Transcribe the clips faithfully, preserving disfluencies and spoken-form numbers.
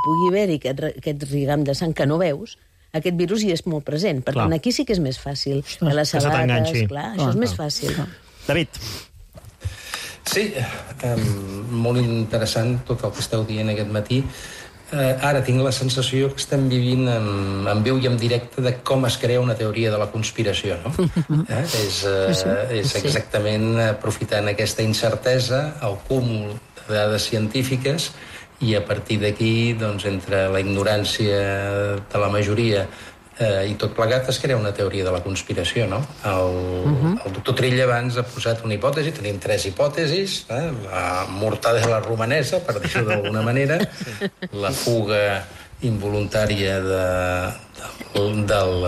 pugui haver-hi aquest, aquest rigam de sang que no veus, aquest virus hi és molt present. Per clar. Tant, aquí sí que és més fàcil. Que les sabates, clar, això ah, és més fàcil. Ah. David. Sí, eh, molt interessant tot el que esteu dient aquest matí. Eh, ara tinc la sensació que estem vivint en, en viu i en directe de com es crea una teoria de la conspiració, no? Eh? És, eh, és exactament aprofitant aquesta incertesa, el cúmul de dades científiques, i a partir d'aquí, doncs, entre la ignorància de la majoria eh, i tot plegat, es crea una teoria de la conspiració, no? El, uh-huh. el doctor Trilla abans ha posat una hipòtesi, tenim tres hipòtesis, eh? La mortadela romanesa, per dir-ho d'alguna manera, la fuga involuntària de, del, del,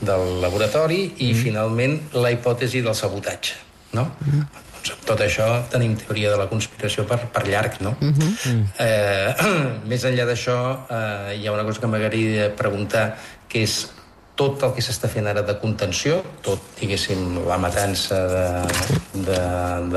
del laboratori i, uh-huh. finalment, la hipòtesi del sabotatge, no? Uh-huh. Doncs amb tot això tenim teoria de la conspiració per, per llarg, no? Uh-huh. eh, més enllà d'això, eh, hi ha una cosa que m'agradaria preguntar, que és tot el que s'està fent ara de contenció, tot, diguéssim, la matança de, de,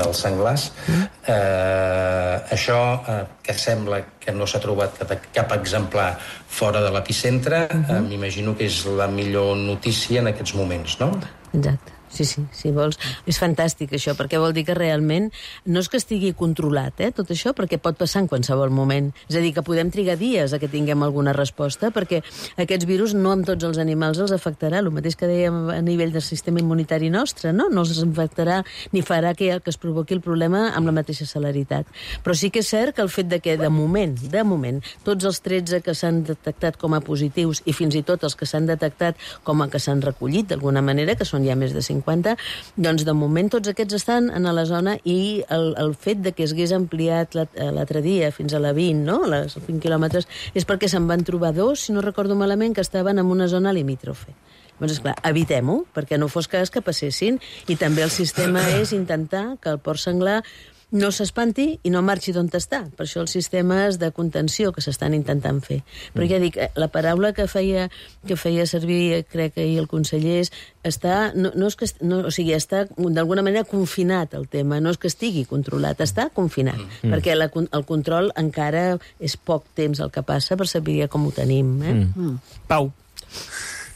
dels senglars, eh, això eh, que sembla que no s'ha trobat cap, cap exemplar fora de l'epicentre, uh-huh. eh, m'imagino que és la millor notícia en aquests moments, no? Exacte. Sí, sí, si vols. És fantàstic, això, perquè vol dir que realment no és que estigui controlat, eh, tot això, perquè pot passar en qualsevol moment. És a dir, que podem trigar dies a que tinguem alguna resposta, perquè aquests virus no amb tots els animals els afectarà, el mateix que dèiem a nivell del sistema immunitari nostre, no? No els afectarà ni farà que, que es provoqui el problema amb la mateixa celeritat. Però sí que és cert que el fet de que, de moment, de moment, tots els tretze que s'han detectat com a positius i fins i tot els que s'han detectat com a que s'han recollit d'alguna manera, que són ja més de cinquanta, doncs de moment tots aquests estan en la zona i el, el fet de que es hagués ampliat l'altre dia fins a la vint, no? A les vint quilòmetres, és perquè se'n van trobar dos, si no recordo malament, que estaven en una zona limítrofe. Doncs, esclar, evitem-ho, perquè no fos cas que passessin, i també el sistema és intentar que el porc senglar no s'espanti i no marxi d'on està. Per això els sistemes de contenció que s'estan intentant fer. Però ja dic, la paraula que feia, que feia servir, crec que ahir el conseller, està, no, no és que, no, o sigui, està d'alguna manera confinat el tema, no és que estigui controlat, està confinat, mm. perquè la, el control encara és poc temps el que passa per saber com ho tenim. Eh? Mm. Mm. Pau.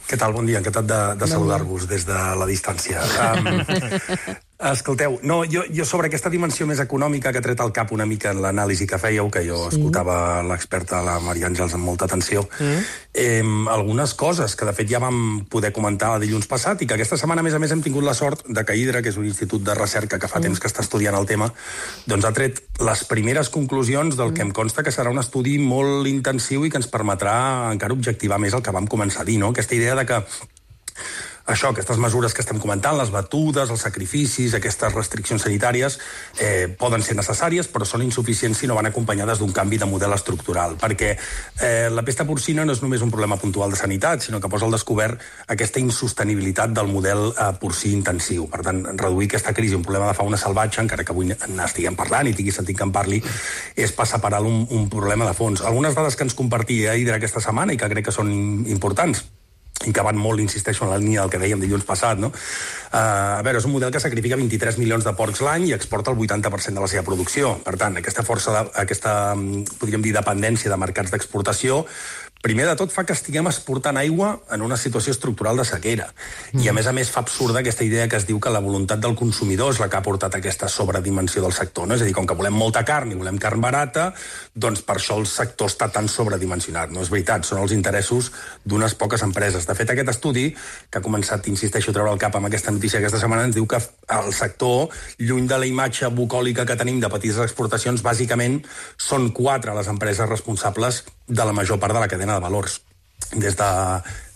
Què tal? Bon dia, encantat de, de saludar-vos des de la distància. Um, escolteu, no, jo, jo sobre aquesta dimensió més econòmica que he tret al cap una mica en l'anàlisi que fèieu, que jo sí. escoltava l'experta, la Maria Àngels, amb molta atenció, mm. eh, algunes coses que de fet ja vam poder comentar dilluns passat i que aquesta setmana, a més a més, hem tingut la sort de que Hidra, que és un institut de recerca que fa mm. temps que està estudiant el tema, doncs ha tret les primeres conclusions del mm. que em consta que serà un estudi molt intensiu i que ens permetrà encara objectivar més el que vam començar a dir, no? Aquesta idea de que això, aquestes mesures que estem comentant, les batudes, els sacrificis, aquestes restriccions sanitàries, eh, poden ser necessàries, però són insuficients si no van acompanyades d'un canvi de model estructural, perquè eh, la pesta porcina no és només un problema puntual de sanitat, sinó que posa al descobert aquesta insostenibilitat del model eh, porcí intensiu. Per tant, reduir aquesta crisi, un problema de fauna salvatge, encara que avui n'estiguem parlant i tingui sentit que en parli, és passar per alt un, un problema de fons. Algunes dades que ens compartia Hidra aquesta setmana i que crec que són importants, i que van molt, insisteixo, en la línia del que dèiem dilluns passat, no? Uh, a veure, és un model que sacrifica vint-i-tres milions de porcs l'any i exporta el vuitanta per cent de la seva producció. Per tant, aquesta força, de, aquesta, podríem dir, dependència de mercats d'exportació, primer de tot fa que estiguem exportant aigua en una situació estructural de sequera. Mm. I, a més a més, fa absurda aquesta idea que es diu que la voluntat del consumidor és la que ha portat aquesta sobredimensió del sector, no? És a dir, com que volem molta carn i volem carn barata, doncs per això el sector està tan sobredimensionat. No és veritat, són els interessos d'unes poques empreses. De fet, aquest estudi, que ha començat, insisteixo, a treure el cap amb aquesta notícia aquesta setmana, ens diu que el sector, lluny de la imatge bucòlica que tenim de petites exportacions, bàsicament són quatre les empreses responsables de la major part de la cadena de valors, des, de,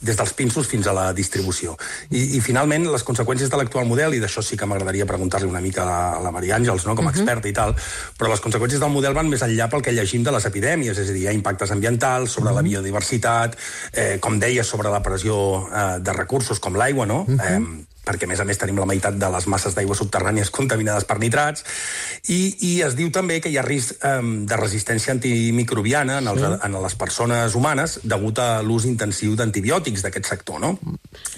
des dels pinsos fins a la distribució. I, i finalment, les conseqüències de l'actual model, i d'això sí que m'agradaria preguntar-li una mica a la, a la Maria Àngels, no?, com a experta i tal, però les conseqüències del model van més enllà pel que llegim de les epidèmies, és a dir, hi ha impactes ambientals sobre la biodiversitat, eh, com deia, sobre la pressió eh, de recursos com l'aigua, no?, eh, perquè, a més a més, tenim la meitat de les masses d'aigua subterrànies contaminades per nitrats, i, i es diu també que hi ha risc eh, de resistència antimicrobiana en, els, en les persones humanes degut a l'ús intensiu d'antibiòtics d'aquest sector, no?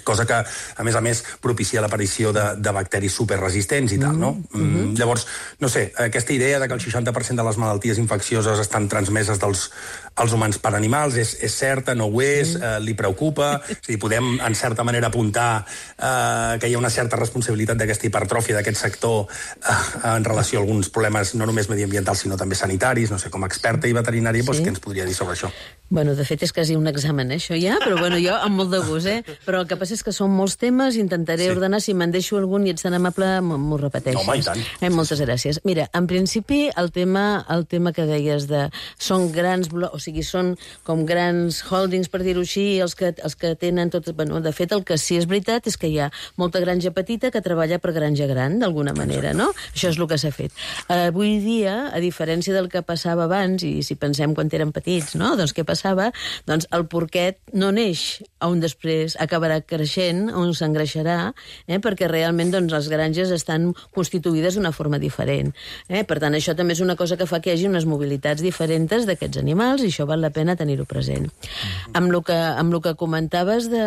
Cosa que, a més a més, propicia l'aparició de, de bacteris superresistents i tal, no? Mm-hmm. Llavors, no sé, aquesta idea de que el seixanta per cent de les malalties infeccioses estan transmeses dels als humans per animals és, és certa, no ho és, eh, li preocupa, és a dir, podem, en certa manera, apuntar eh, que hi ha una certa responsabilitat d'aquesta hipertròfia d'aquest sector eh, en relació a alguns problemes no només mediambientals, sinó també sanitaris, no sé, com a experta i veterinària, sí. doncs, què ens podria dir sobre això? Bueno, de fet, és quasi un examen, eh, això ja, però bueno, jo amb molt de gust, eh? Però el que passa és que són molts temes, intentaré sí. ordenar, si me'n deixo algun i ets tan amable, m'ho repeteixes. No, home, i tant. Eh, moltes gràcies. Mira, en principi, el tema, el tema que deies de... Són grans... O sigui, són com grans holdings, per dir-ho així, els que, els que tenen tot... Bueno, de fet, el que sí és veritat és que hi ha molta granja petita que treballa per granja gran, d'alguna manera, no? Això és el que s'ha fet. Uh, avui dia, a diferència del que passava abans, i si pensem quan érem petits, no? Doncs què passava? Doncs el porquet no neix on després acabarà creixent, on s'engreixarà, eh? Perquè realment doncs, les granges estan constituïdes d'una forma diferent. Eh? Per tant, això també és una cosa que fa que hi hagi unes mobilitats diferents d'aquests animals i això val la pena tenir-ho present. Mm-hmm. Amb el que, amb el que comentaves de,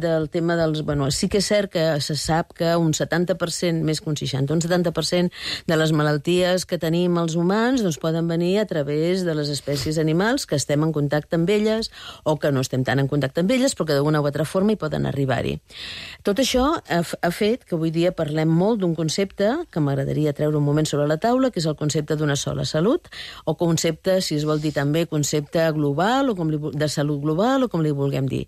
del tema dels... Bueno, sí que és cert que se sap que un setanta per cent, més que un seixanta, un setanta per cent de les malalties que tenim els humans doncs, poden venir a través de les espècies animals que estem en contacte amb elles o que no estem tan en contacte amb elles però que d'una o altra forma hi poden arribar-hi. Tot això ha, ha fet que avui dia parlem molt d'un concepte que m'agradaria treure un moment sobre la taula, que és el concepte d'una sola salut, o concepte, si es vol dir també, concepte global, o com li, de salut global, o com li vulguem dir.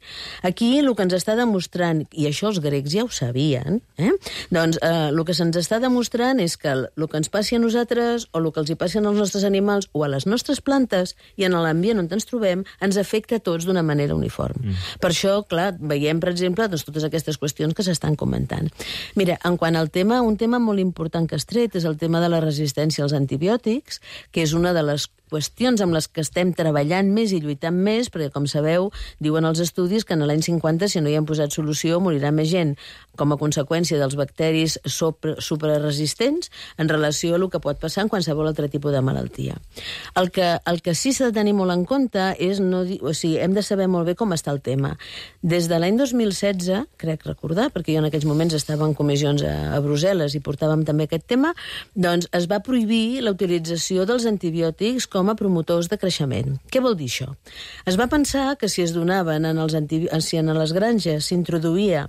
Aquí el que ens està demostrant, i això els grecs ja ho sabien, eh? doncs eh, el que se'ns està demostrant és que el, el que ens passi a nosaltres, o el que els hi passi als nostres animals, o a les nostres plantes, i en l'ambient on ens trobem, ens afecta a tots d'una manera uniforme. Mm. Per això, clar, veiem, per exemple, doncs, totes aquestes qüestions que s'estan comentant. Mira, en quant al tema, un tema molt important que has tret és el tema de la resistència als antibiòtics, que és una de les qüestions amb les que estem treballant més i lluitant més, perquè, com sabeu, diuen els estudis que en l'any cinquanta, si no hi hem posat solució, morirà més gent com a conseqüència dels bacteris superresistents en relació a el que pot passar en qualsevol altre tipus de malaltia. El que, el que sí s'ha de tenir molt en compte és, no, o sigui, hem de saber molt bé com està el tema. Des de l'any dos mil setze, crec recordar, perquè jo en aquells moments estava en comissions a, a Brussel·les i portàvem també aquest tema, doncs es va prohibir la utilització dels antibiòtics com a promotors de creixement. Què vol dir això? Es va pensar que si es donaven en, els antibi... si en les granges s'introduïa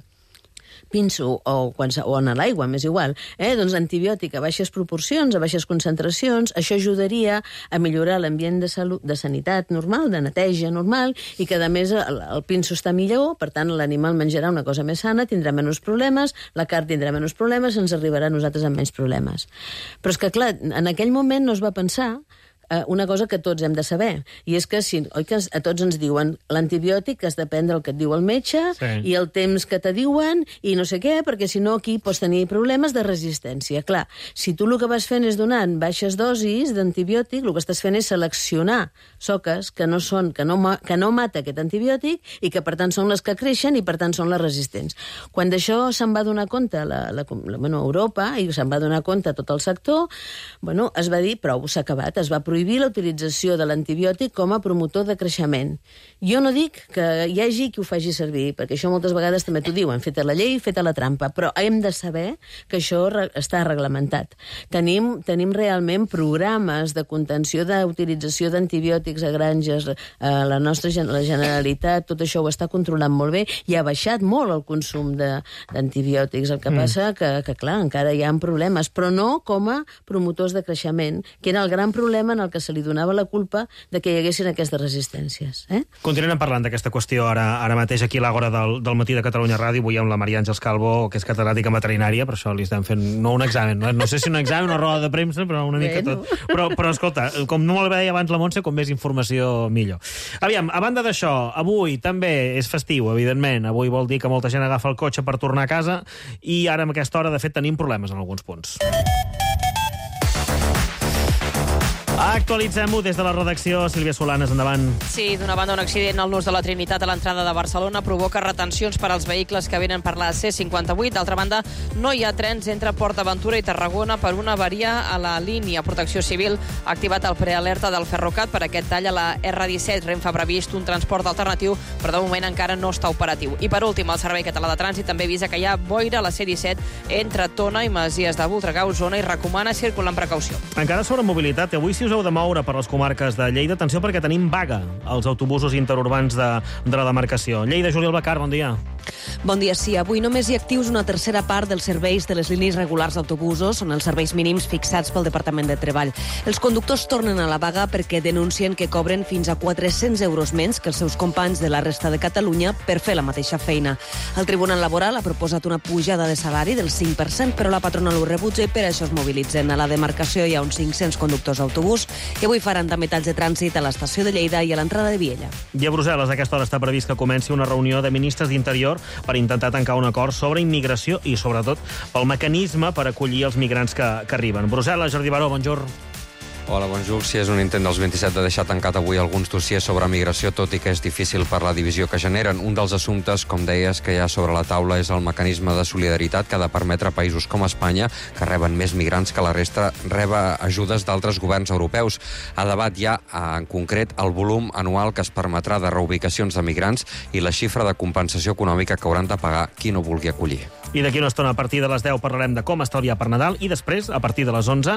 pinso o, quan, o en l'aigua, m'és igual, eh? doncs antibiòtic a baixes proporcions, a baixes concentracions, això ajudaria a millorar l'ambient de salut, de sanitat normal, de neteja normal, i que a més el, el pinso està millor, per tant l'animal menjarà una cosa més sana, tindrà menys problemes, la carn tindrà menys problemes, ens arribarà a nosaltres amb menys problemes. Però és que, clar, en aquell moment no es va pensar una cosa que tots hem de saber, i és que, si, oi que a tots ens diuen l'antibiòtic has de prendre el que et diu el metge sí. i el temps que te diuen i no sé què, perquè si no aquí pots tenir problemes de resistència. Clar, si tu el que vas fent és donant baixes dosis d'antibiòtic, el que estàs fent és seleccionar soques que no, són, que no, que no mata aquest antibiòtic i que per tant són les que creixen i per tant són les resistents. Quan d'això se'n va donar compte la, la, la, bueno, Europa i se'n va donar compte tot el sector, bueno, es va dir prou, s'ha acabat, es va prohibir prohibir la utilització de l'antibiòtic com a promotor de creixement. Jo no dic que hi hagi qui ho faci servir, perquè això moltes vegades també t'ho diuen, feta la llei, feta la trampa, però hem de saber que això està reglamentat. Tenim, tenim realment programes de contenció d'utilització d'antibiòtics a granges, a la nostra la Generalitat, tot això ho està controlant molt bé i ha baixat molt el consum d'antibiòtics. El que mm. passa que, que, clar, encara hi ha problemes, però no com a promotors de creixement, que era el gran problema en el que se li donava la culpa de que hi haguessin aquestes resistències. Eh? Continuem parlant d'aquesta qüestió ara, ara mateix aquí a l'Àgora del, del matí de Catalunya Ràdio. Avui amb la Maria Àngels Calvo, que és catedràtica en veterinària, per això li estem fent no un examen, no, no sé si un examen o una roda de premsa, però una mica bueno. tot. Però, però escolta, com no me'l deia abans la Montse, com més informació millor. Aviam, a banda d'això, avui també és festiu, evidentment. Avui vol dir que molta gent agafa el cotxe per tornar a casa i ara, en aquesta hora, de fet, tenim problemes en alguns punts. Actualitzem-ho des de la redacció. Sílvia Solanes, endavant. Sí, d'una banda, un accident al nus de la Trinitat a l'entrada de Barcelona provoca retencions per als vehicles que venen per la C cinquanta-vuit. D'altra banda, no hi ha trens entre Port Aventura i Tarragona per una avaria a la línia. Protecció Civil ha activat el prealerta del Ferrocat per aquest tall a la R disset. Renfe ha previst un transport alternatiu, però de moment encara no està operatiu. I per últim, el Servei Català de Trànsit també avisa que hi ha boira a la C disset entre Tona i Masies de Voltregà, Osona, i recomana circular amb precaució. Encara sobre mobilitat, avui si us heu de moure per les comarques de Lleida, atenció perquè tenim vaga als autobusos interurbans de, de la demarcació. Lleida, Juli Albacar, bon dia. Bon dia, sí. Avui només hi ha actius una tercera part dels serveis de les línies regulars d'autobusos, són els serveis mínims fixats pel Departament de Treball. Els conductors tornen a la vaga perquè denuncien que cobren fins a quatre-cents euros menys que els seus companys de la resta de Catalunya per fer la mateixa feina. El Tribunal Laboral ha proposat una pujada de salari del cinc per cent, però la patronal ho rebutja i per això es mobilitzen. A la demarcació hi ha uns cinc-cents conductors d'autobús i avui faran també talls de trànsit a l'estació de Lleida i a l'entrada de Viella. I a Brussel·les a aquesta hora està previst que comenci una reunió de ministres d'Interior per intentar tancar un acord sobre immigració i, sobretot, pel mecanisme per acollir els migrants que, que arriben. Brussel·les, Jordi Baró, bonjour. Hola, bonjour. Sí, és un intent dels vint-i-set de deixar tancat avui alguns dossiers sobre migració, tot i que és difícil per la divisió que generen. Un dels assumptes, com deies, que hi ha sobre la taula és el mecanisme de solidaritat que ha de permetre a països com Espanya, que reben més migrants que la resta, reba ajudes d'altres governs europeus. A debat hi ha, en concret, el volum anual que es permetrà de reubicacions de migrants i la xifra de compensació econòmica que hauran de pagar qui no vulgui acollir. I d'aquí una estona, a partir de les deu, parlarem de com estalviar per Nadal i després, a partir de les onze,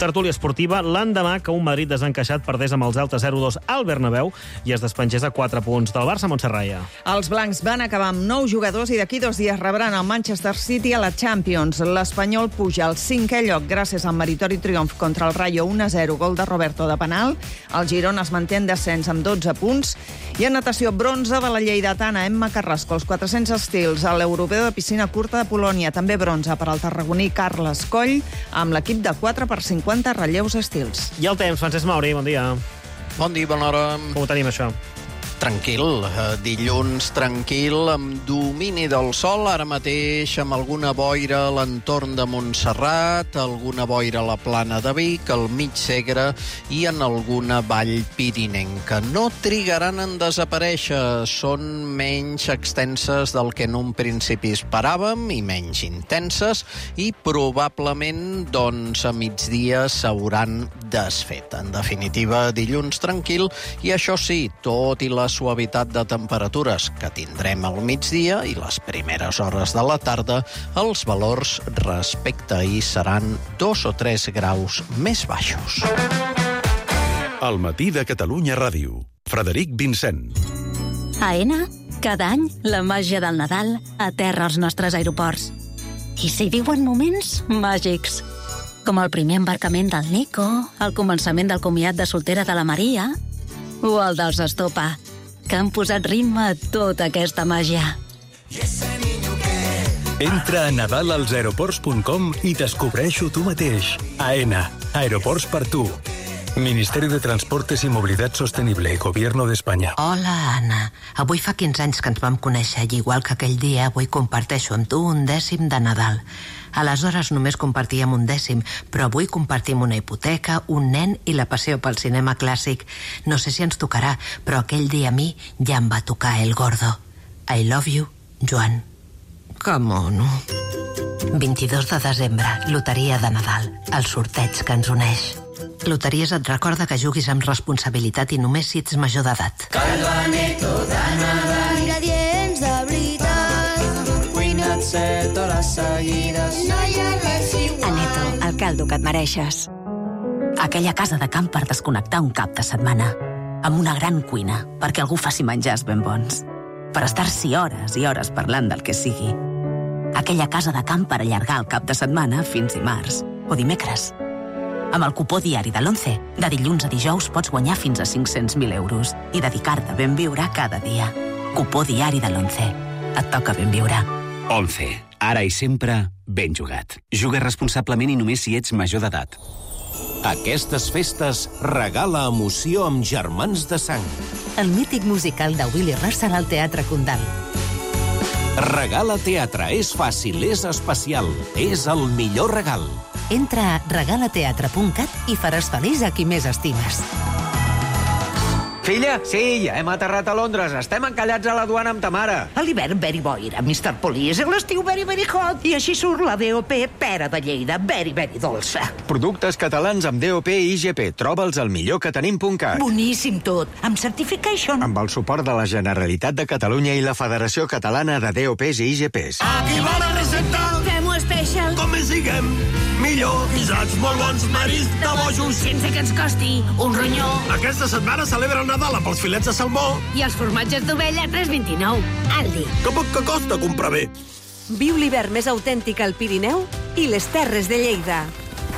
tertúlia esportiva, l'endemà que un Madrid desencaixat perdés amb el Celta zero dos al Bernabéu i es despengés a quatre punts del Barça, Montserrat. Els blancs van acabar amb nou jugadors i d'aquí dos dies rebran el Manchester City a la Champions. L'Espanyol puja al cinquè lloc gràcies al meritori triomf contra el Rayo un a zero, gol de Roberto de penal. El Girona es manté en descens amb dotze punts. I en natació, bronze de la lleidatana Emma Carrasco, els quatre-cents estils, a l'Europeu de piscina curta de Polònia. També bronze per al tarragoní Carles Coll, amb l'equip de quatre per cinquanta relleus estils. I el temps, Francesc Mauri, bon dia. Bon dia, bona hora. Com ho tenim, això? Tranquil, dilluns tranquil, amb domini del sol, ara mateix amb alguna boira a l'entorn de Montserrat, alguna boira a la plana de Vic, al mig Segre i en alguna vall pirinenca. No trigaran en desaparèixer, són menys extenses del que en un principi esperàvem i menys intenses i probablement, doncs, a migdia s'hauran desfet. En definitiva, dilluns tranquil i això sí, tot i la suavitat de temperatures que tindrem al migdia i les primeres hores de la tarda, els valors respecte a ahir seran dos o tres graus més baixos. Al matí de Catalunya Ràdio. Frederic Vincent. A Aena, cada any, la màgia del Nadal aterra als nostres aeroports. I s'hi viuen moments màgics, com el primer embarcament del Nico, el començament del comiat de soltera de la Maria o el dels Estopa, que han posat ritme a tota aquesta màgia. Entra a nadal als aeroports punt com i descobreix-ho tu mateix. Aena, aeroports per tu. Ministeri de Transportes i Mobilitat Sostenible, Gobierno d'Espanya. Hola, Anna. Avui fa quinze anys que ens vam conèixer i igual que aquell dia, avui comparteixo amb tu un dècim de Nadal. Aleshores només compartíem un dècim, però avui compartim una hipoteca, un nen i la passió pel cinema clàssic. No sé si ens tocarà, però aquell dia a mi ja em va tocar el gordo. I love you, Joan. Que mono. vint-i-dos de desembre, loteria de Nadal, el sorteig que ens uneix. Loteries et recorda que juguis amb responsabilitat i només si ets major d'edat. Caldo Aneto de Nadal, ingredients de veritat, cuina't set hores seguides, no hi ha res igual. Aneto, el caldo que et mereixes. Aquella casa de camp per desconnectar un cap de setmana, amb una gran cuina, perquè algú faci menjars ben bons, per estar-s'hi hores i hores parlant del que sigui. Aquella casa de camp per allargar el cap de setmana fins dimarts o dimecres. Amb el cupó diari de l'Once, de dilluns a dijous pots guanyar fins a cinc-cents mil euros i dedicar-te a ben viure cada dia. Cupó diari de l'Once. Et toca ben viure. Once. Ara i sempre, ben jugat. Juga responsablement i només si ets major d'edat. Aquestes festes regala emoció amb Germans de Sang. El mític musical de Willy Russell al Teatre Condal. Regala teatre, és fàcil, és especial, és el millor regal. Entra a regalateatre punt cat i faràs feliç a qui més estimes. Filla, sí, ja hem aterrat a Londres. Estem encallats a la duana amb ta mare. A l'hivern, very boira, mister Police. A l'estiu, very, very hot. I així surt la D O P Pera de Lleida, very, very dolça. Productes catalans amb D O P i I G P. Troba'ls al millor que tenim punt cat. Boníssim tot. Amb certification. Amb el suport de la Generalitat de Catalunya i la Federació Catalana de D O Ps i I G Ps. Aquí va la recepta. Fem-ho special. Com més diguem, millor. Guisats molt bons, maris de bojos. Sense que ens costi un ronyó. Aquesta setmana celebra el Nadal amb els filets de salmó. I els formatges d'ovella, tres vint-i-nou. Aldi. Que poc que costa comprar bé. Viu l'hivern més autèntic al Pirineu i les Terres de Lleida.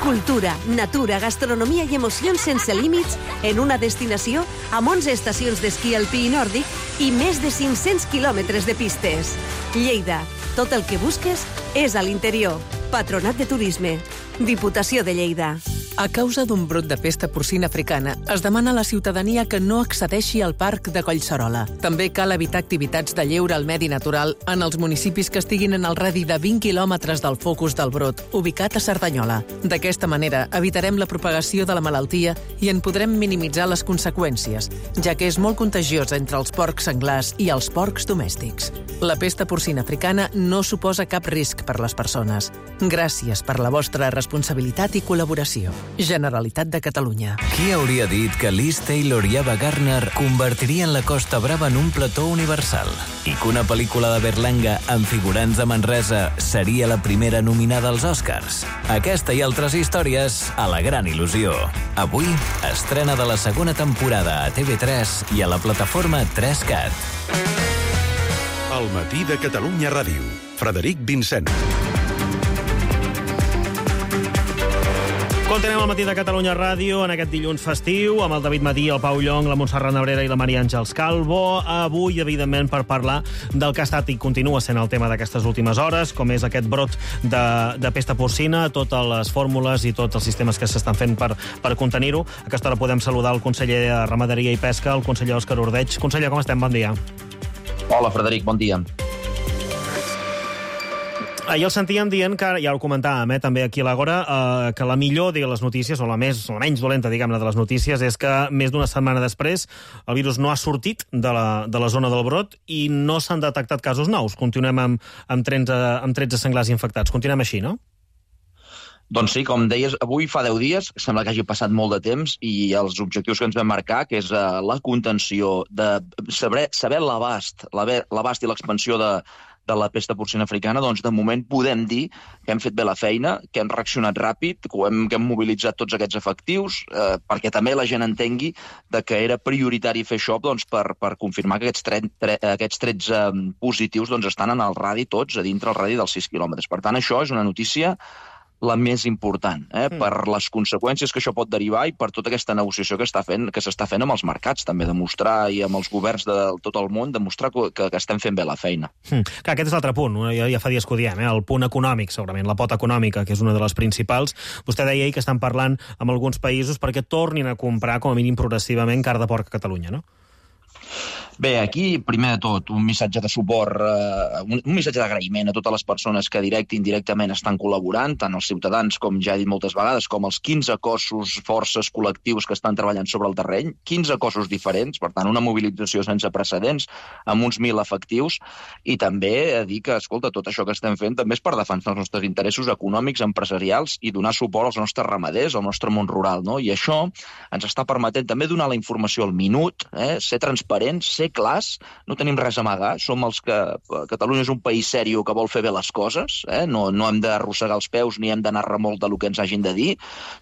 Cultura, natura, gastronomia i emocions sense límits en una destinació amb onze estacions d'esquí alpí i nòrdic i més de cinc-cents quilòmetres de pistes. Lleida, tot el que busques és a l'interior. Patronat de Turisme. Diputació de Lleida. A causa d'un brot de pesta porcina africana, es demana a la ciutadania que no accedeixi al parc de Collserola. També cal evitar activitats de lleure al medi natural en els municipis que estiguin en el radi de vint quilòmetres del focus del brot, ubicat a Cerdanyola. D'aquesta manera, evitarem la propagació de la malaltia i en podrem minimitzar les conseqüències, ja que és molt contagiosa entre els porcs senglars i els porcs domèstics. La pesta porcina africana no suposa cap risc per les persones. Gràcies per la vostra responsabilitat i col·laboració. Generalitat de Catalunya. Qui hauria dit que Liz Taylor i Ava Gardner convertirien la Costa Brava en un plató universal? I que una pel·lícula de Berlanga amb figurants de Manresa seria la primera nominada als Oscars? Aquesta i altres històries a La Gran Il·lusió. Avui, estrena de la segona temporada a T V tres i a la plataforma tres cat. El matí de Catalunya Ràdio. Frederic Vincent. Continuem al matí de Catalunya Ràdio en aquest dilluns festiu amb el David Madí, el Pau Llong, la Montserrat Nebrera i la Maria Àngels Calvo. Avui, evidentment, per parlar del que ha estat i continua sent el tema d'aquestes últimes hores, com és aquest brot de, de pesta porcina, totes les fórmules i tots els sistemes que s'estan fent per, per contenir-ho. A aquesta hora podem saludar el conseller de Ramaderia i Pesca, el conseller Òscar Ordeig. Conseller, com estem? Bon dia. Hola, Frederic, bon dia. Ahir el sentíem dient, que ja ho comentàvem eh, també aquí a l'Àgora, eh, que la millor de les notícies, o la més o la menys dolenta, diguem-ne, de les notícies, és que més d'una setmana després el virus no ha sortit de la, de la zona del brot i no s'han detectat casos nous. Continuem amb, amb, tretze, amb tretze senglars infectats. Continuem així, no? Doncs sí, com deies, avui fa deu dies, sembla que hagi passat molt de temps, i els objectius que ens vam marcar, que és uh, la contenció, de saber, saber l'abast, l'abast i l'expansió de, de la pesta porcina africana, doncs de moment podem dir que hem fet bé la feina, que hem reaccionat ràpid, que hem, que hem mobilitzat tots aquests efectius, eh, perquè també la gent entengui de que era prioritari fer això doncs, per, per confirmar que aquests, tre, tre, aquests tretze positius doncs, estan en el radi tots, a dintre el radi dels sis quilòmetres. Per tant, això és una notícia la més important, eh? mm. per les conseqüències que això pot derivar i per tota aquesta negociació que està fent, que s'està fent amb els mercats, també demostrar, i amb els governs de tot el món, demostrar que, que estem fent bé la feina. Mm. Clar, aquest és l'altre punt, ja, ja fa dies que ho diem, eh? El punt econòmic, segurament, la pota econòmica, que és una de les principals. Vostè deia ahir que estan parlant amb alguns països perquè tornin a comprar, com a mínim progressivament, carn de porc a Catalunya, no? Bé, aquí, primer de tot, un missatge de suport, eh, un, un missatge d'agraïment a totes les persones que directe i indirectament estan col·laborant, tant els ciutadans, com ja he dit moltes vegades, com els quinze cossos, forces, col·lectius que estan treballant sobre el terreny, quinze cossos diferents, per tant, una mobilització sense precedents, amb uns mil efectius, i també dir que, escolta, tot això que estem fent també és per defensar els nostres interessos econòmics, empresarials, i donar suport als nostres ramaders, al nostre món rural, no? I això ens està permetent també donar la informació al minut, eh? Ser transparents, ser clars, no tenim res a amagar, som els que... Catalunya és un país seriós que vol fer bé les coses, eh? no, no hem d'arrossegar els peus ni hem d'anar remolc del que ens hagin de dir,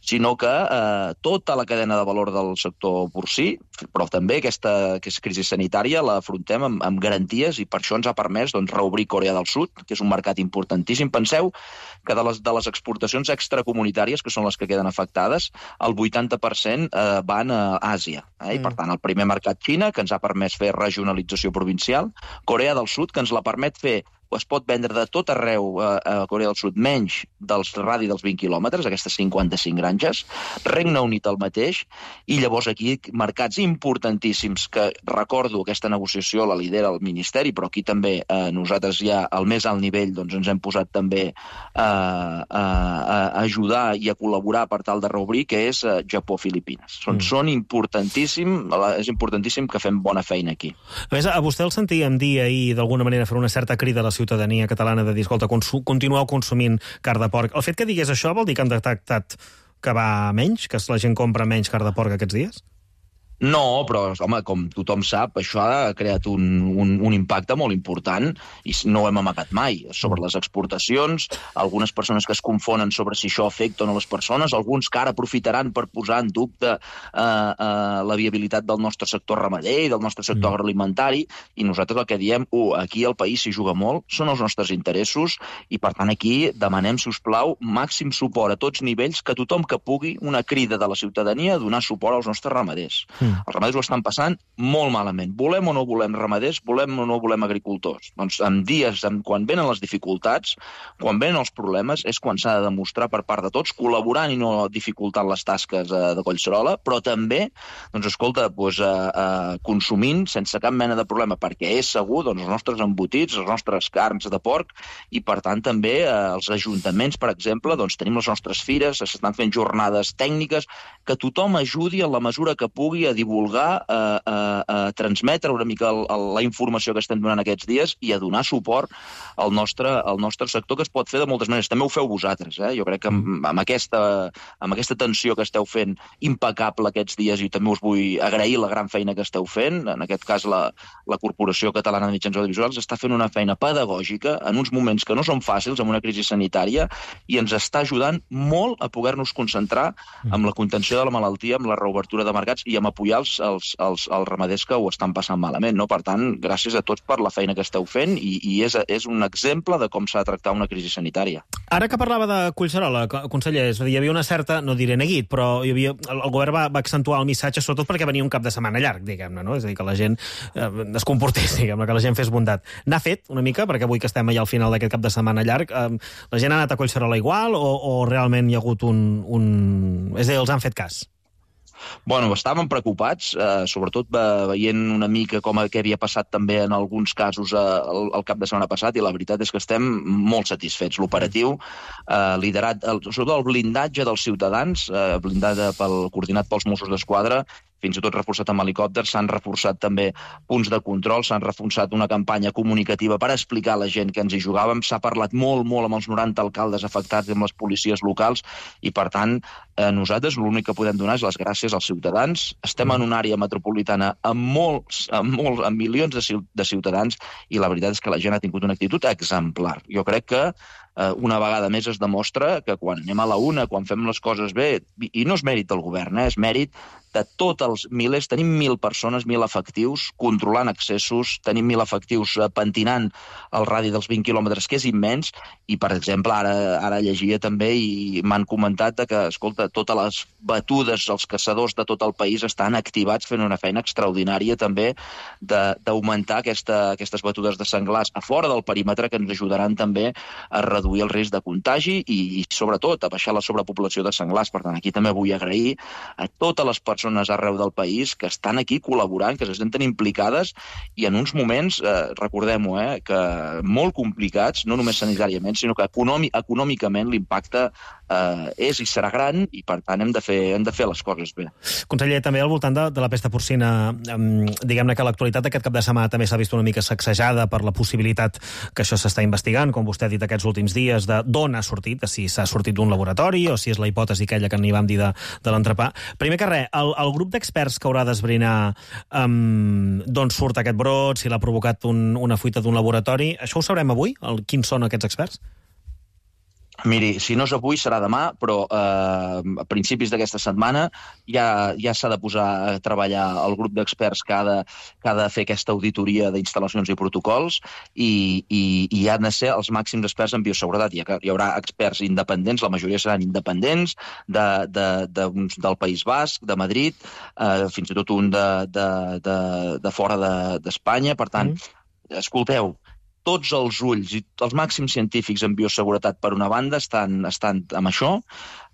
sinó que eh, tota la cadena de valor del sector porcí, però també aquesta, aquesta crisi sanitària la afrontem amb, amb garanties, i per això ens ha permès doncs, reobrir Corea del Sud, que és un mercat importantíssim. Penseu que de les, de les exportacions extracomunitàries, que són les que queden afectades, el vuitanta per cent eh, van a Àsia. Eh? I, per tant, el primer mercat Xina, que ens ha permès fer regionalització provincial, Corea del Sud, que ens la permet fer es pot vendre de tot arreu a, a Corea del Sud, menys dels radi dels vint quilòmetres, aquestes cinquanta-cinc granges, Regne Unit el mateix, i llavors aquí mercats importantíssims que, recordo, aquesta negociació la lidera el Ministeri, però aquí també eh, nosaltres ja al més alt nivell doncs, ens hem posat també a, a, a ajudar i a col·laborar per tal de reobrir, que és eh, Japó-Filipines. Són, mm. són importantíssim, és importantíssim que fem bona feina aquí. A més, a vostè el sentíem dir ahir, d'alguna manera, fer una certa crida a la ciutadania catalana de dir, escolta, continueu consumint carn de porc. El fet que digués això vol dir que han detectat que va menys, que la gent compra menys carn de porc aquests dies? No, però, home, com tothom sap, això ha creat un, un, un impacte molt important i no ho hem amagat mai. Sobre les exportacions, algunes persones que es confonen sobre si això afecta o no les persones, alguns que ara aprofitaran per posar en dubte eh, eh, la viabilitat del nostre sector ramader i del nostre sector mm. agroalimentari, i nosaltres el que diem, uh, aquí al país s'hi juga molt, són els nostres interessos, i per tant aquí demanem, si us plau, màxim suport a tots nivells, que tothom que pugui, una crida de la ciutadania a donar suport als nostres ramaders. Mm. Els ramaders ho estan passant molt malament. Volem o no volem ramaders, volem o no volem agricultors. Doncs en dies, en, quan venen les dificultats, quan venen els problemes, és quan s'ha de demostrar per part de tots, col·laborant i no dificultant les tasques eh, de Collserola, però també, doncs, escolta, doncs, eh, eh, consumint sense cap mena de problema, perquè és segur, doncs, els nostres embotits, les nostres carns de porc, i per tant també eh, els ajuntaments, per exemple, doncs, tenim les nostres fires, s'estan fent jornades tècniques, que tothom ajudi en la mesura que pugui a divulgar, a, a, a transmetre una mica el, el, la informació que estem donant aquests dies i a donar suport al nostre, al nostre sector, que es pot fer de moltes maneres. També ho feu vosaltres, eh? Jo crec que amb, amb, aquesta, amb aquesta atenció que esteu fent impecable aquests dies, i també us vull agrair la gran feina que esteu fent, en aquest cas la, la Corporació Catalana de Mitjans Audiovisuals està fent una feina pedagògica en uns moments que no són fàcils, amb una crisi sanitària, i ens està ajudant molt a poder-nos concentrar amb la contenció de la malaltia, amb la reobertura de mercats i amb apoyar els, els, els, els ramaders que ho estan passant malament, no? Per tant, gràcies a tots per la feina que esteu fent, i, i és, és un exemple de com s'ha de tractar una crisi sanitària. Ara que parlava de Collserola, conseller, és a dir, hi havia una certa, no diré neguit, però hi havia, el, el govern va, va accentuar el missatge, sobretot perquè venia un cap de setmana llarg, diguem-ne, no? És a dir, que la gent eh, es comportés, diguem-ne, que la gent fes bondat. N'ha fet una mica, perquè avui que estem allà al final d'aquest cap de setmana llarg, eh, la gent ha anat a Collserola igual, o, o realment hi ha hagut un, un... És a dir, els han fet cas? Bueno, estàvem preocupats, eh, sobretot veient una mica com què havia passat també en alguns casos eh, el, el cap de setmana passat, i la veritat és que estem molt satisfets. L'operatiu, eh, liderat, el, sobretot el blindatge dels ciutadans, eh, blindat pel, coordinat pels Mossos d'Esquadra, fins i tot reforçat amb helicòpters, s'han reforçat també punts de control, s'han reforçat una campanya comunicativa per explicar a la gent que ens hi jugàvem, s'ha parlat molt, molt amb els noranta alcaldes afectats i amb les policies locals, i per tant, eh, nosaltres l'únic que podem donar és les gràcies als ciutadans. Estem en una àrea metropolitana amb molts, amb, molts, amb milions de, de ciutadans, i la veritat és que la gent ha tingut una actitud exemplar. Jo crec que eh, una vegada més es demostra que quan anem a la una, quan fem les coses bé, i no és mèrit del govern, eh, és mèrit de tots els milers, tenim mil persones, mil efectius, controlant accessos, tenim mil efectius pentinant el radi dels vint quilòmetres, que és immens, i, per exemple, ara, ara llegia també i m'han comentat que, escolta, totes les batudes, els caçadors de tot el país estan activats fent una feina extraordinària també d'augmentar aquesta, aquestes batudes de senglars a fora del perímetre, que ens ajudaran també a reduir el risc de contagi i, i sobretot, a baixar la sobrepopulació de senglars. Per tant, aquí també vull agrair a totes les persones arreu del país que estan aquí col·laborant, que se senten implicades, i en uns moments, eh, recordem-ho, eh, que molt complicats, no només sanitàriament, sinó que econòmic, econòmicament l'impacte eh, és i serà gran, i per tant hem de fer, hem de fer les coses bé. Conseller, també al voltant de, de la pesta porcina, eh, diguem-ne que l'actualitat d'aquest cap de setmana també s'ha vist una mica sacsejada per la possibilitat que això s'està investigant, com vostè ha dit aquests últims dies, de d'on ha sortit, de si s'ha sortit d'un laboratori o si és la hipòtesi aquella que n'hi vam dir de, de l'entrepà. Primer que res, el, el grup d'experts que haurà d'esbrinar um, d'on surt aquest brot, si l'ha provocat un, una fuita d'un laboratori, això ho sabrem avui? El, quins són aquests experts? Miri, si no és avui, serà demà, però eh, a principis d'aquesta setmana ja, ja s'ha de posar a treballar el grup d'experts que, ha de, que ha de fer aquesta auditoria d'instal·lacions i protocols, i, i, i han de ser els màxims experts en bioseguretat. Hi, ha, hi haurà experts independents, la majoria seran independents, de, de, de, del País Basc, de Madrid, eh, fins i tot un de, de, de, de fora d'Espanya. De, per tant, mm. escolteu, tots els ulls i els màxims científics en bioseguretat, per una banda, estan, estan amb això.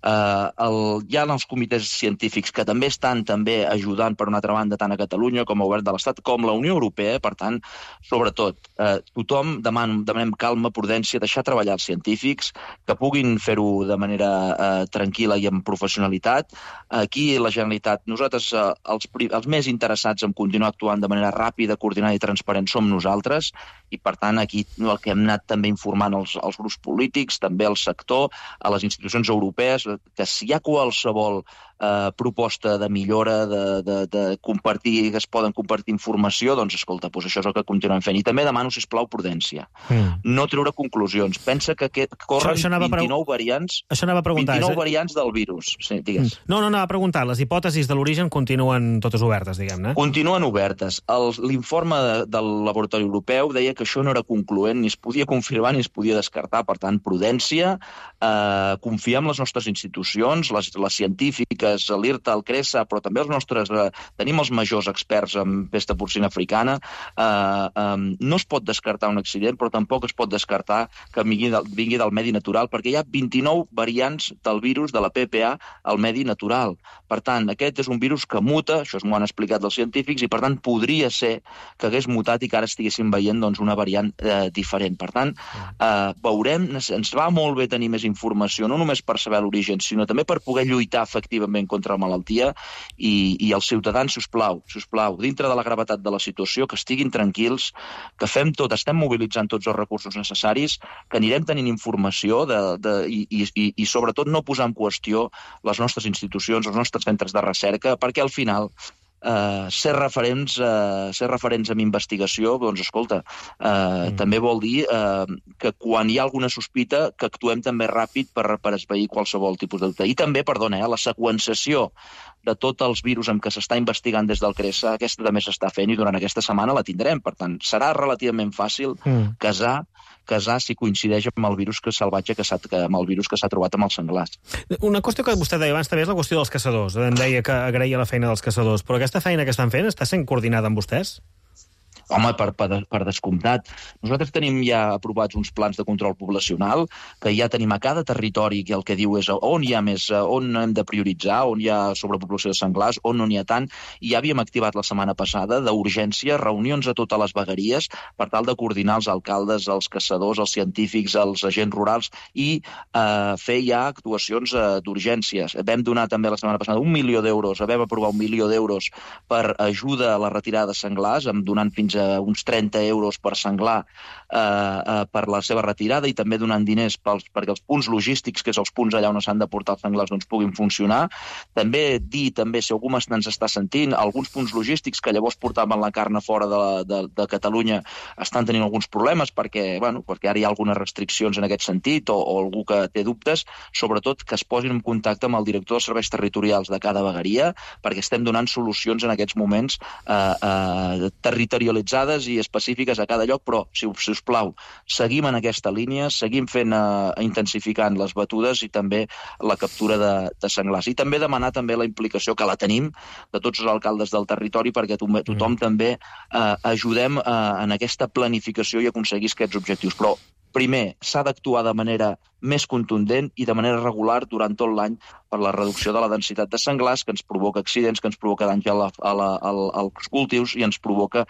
Uh, el, hi ha els comitès científics que també estan també ajudant, per una altra banda, tant a Catalunya com a Govern de l'Estat, com la Unió Europea. Per tant, sobretot, uh, tothom deman, demanem calma, prudència, deixar treballar els científics, que puguin fer-ho de manera uh, tranquil·la i amb professionalitat. Aquí, la Generalitat, nosaltres, uh, els, els més interessats en continuar actuant de manera ràpida, coordinada i transparent som nosaltres, i per tant aquí el que hem anat també informant els, els grups polítics, també el sector, a les institucions europees, que si hi ha qualsevol eh, proposta de millora, de, de, de compartir, que es poden compartir informació, doncs escolta, doncs això és el que continuem fent. I també demano, sisplau, prudència. Mm. No treure conclusions. Pensa que, que corren això, això vint-i-nou pre... variants, això anava a preguntar, vint-i-nou eh? variants del virus. Sí, digues. No, no, anava a preguntar. Les hipòtesis de l'origen continuen totes obertes, diguem-ne? Continuen obertes. L'informe de, del laboratori europeu deia que això no era concloent, ni es podia confirmar ni es podia descartar. Per tant, prudència, eh, confiar en les nostres institucions, les, les científiques, l'I R T A, el CRESA, però també els nostres... Eh, tenim els majors experts en pesta porcina africana. Eh, eh, no es pot descartar un accident, però tampoc es pot descartar que vingui del, vingui del medi natural, perquè hi ha vint-i-nou variants del virus de la P P A al medi natural. Per tant, aquest és un virus que muta, això m'ho han explicat els científics, i per tant podria ser que hagués mutat i que ara estiguéssim veient doncs, una variant eh, diferent. Per tant, eh, veurem, ens va molt bé tenir més informació, no només per saber l'origen, sinó també per poder lluitar efectivament contra la malaltia, i, i els ciutadans, si us plau, si us plau, dintre de la gravetat de la situació, que estiguin tranquils, que fem tot, estem mobilitzant tots els recursos necessaris, que anirem tenint informació de, de, i, i, i sobretot no posar en qüestió les nostres institucions, els nostres centres de recerca, perquè al final Uh, ser referents uh, ser referents en investigació, doncs escolta, uh, mm. també vol dir uh, que quan hi ha alguna sospita que actuem també ràpid per, per esvair qualsevol tipus de dubte. I també, perdona, eh, la seqüenciació de tots els virus amb què s'està investigant des del CRESA, aquesta també s'està fent i durant aquesta setmana la tindrem. Per tant, serà relativament fàcil mm. casar casar si coincideix amb el virus que salvatge que s'ha amb el virus que s'ha trobat amb els senglars. Una qüestió que vostè deia abans també és la qüestió dels caçadors. Em deia que agraïa la feina dels caçadors, però aquesta feina que estan fent està sent coordinada amb vostès? Home, per, per, per descomptat. Nosaltres tenim ja aprovats uns plans de control poblacional que ja tenim a cada territori que el que diu és on hi ha més, on hem de prioritzar, on hi ha sobrepoblació de senglars, on no n'hi ha tant, i ja havíem activat la setmana passada d'urgència reunions a totes les vegueries per tal de coordinar els alcaldes, els caçadors, els científics, els agents rurals i eh, fer ja actuacions eh, d'urgències. Vam donar també la setmana passada un milió d'euros, vam aprovar un milió d'euros per ajuda a la retirada de senglars, donant fins a uns trenta euros per senglar eh, eh, per la seva retirada i també donant diners pels, perquè els punts logístics, que és els punts allà on s'han de portar els senglars, doncs puguin funcionar. També dir, també, si algú ens està sentint, alguns punts logístics que llavors portaven la carn a fora de, la, de, de Catalunya estan tenint alguns problemes perquè, bueno, perquè ara hi ha algunes restriccions en aquest sentit o, o algú que té dubtes, sobretot que es posin en contacte amb el director dels serveis territorials de cada vegueria perquè estem donant solucions en aquests moments eh, eh, territorialitzades i específiques a cada lloc, però, si, si us plau, seguim en aquesta línia, seguim fent, eh, intensificant les batudes i també la captura de, de senglars. I també demanar també la implicació, que la tenim, de tots els alcaldes del territori perquè to tothom mm. també eh, ajudem eh, en aquesta planificació i aconseguir aquests objectius. Però, primer, s'ha d'actuar de manera més contundent i de manera regular durant tot l'any per la reducció de la densitat de senglars que ens provoca accidents, que ens provoca danys a la, a la, a la, als cultius i ens provoca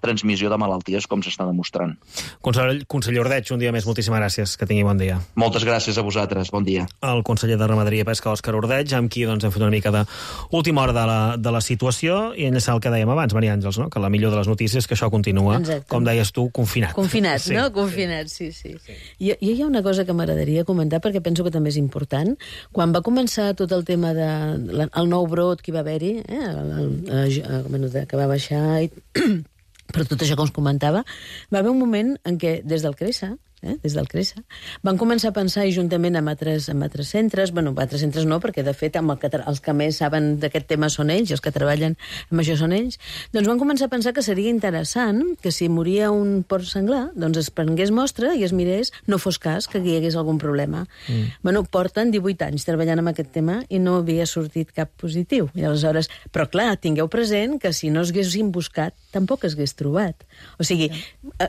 transmissió de malalties, com s'està demostrant. Conseller, conseller Ordeig, un dia més, moltíssimes gràcies. Que tingui bon dia. Moltes gràcies a vosaltres. Bon dia. El conseller de Ramaderia i Pesca, Òscar Ordeig, amb qui doncs, hem fet una mica d'última hora de la, de la situació i enllaçar el que dèiem abans, Maria Àngels, no? Que la millor de les notícies és que això continua, exacte, com deies tu, confinat. Confinat, sí. No? Confinat, sí, sí. sí. I, I hi ha una cosa que m'agradaria comentar, perquè penso que també és important. Quan va començar tot el tema de la, el nou brot que hi va haver-hi, eh, el, el, el, el, que va baixar, i, però tot això que us comentava, va haver un moment en què, des del CRESA, eh, des del CRESA, van començar a pensar, i juntament amb altres, amb altres centres, bueno, altres centres no, perquè de fet amb el que, els que més saben d'aquest tema són ells, i els que treballen amb això són ells, doncs van començar a pensar que seria interessant que si moria un porc senglar, doncs es prengués mostra i es mirés, no fos cas que hi hagués algun problema. Mm. Bueno, porten divuit anys treballant amb aquest tema i no havia sortit cap positiu. I aleshores, però clar, tingueu present que si no es haguessin buscat, tampoc es hagués trobat. O sigui,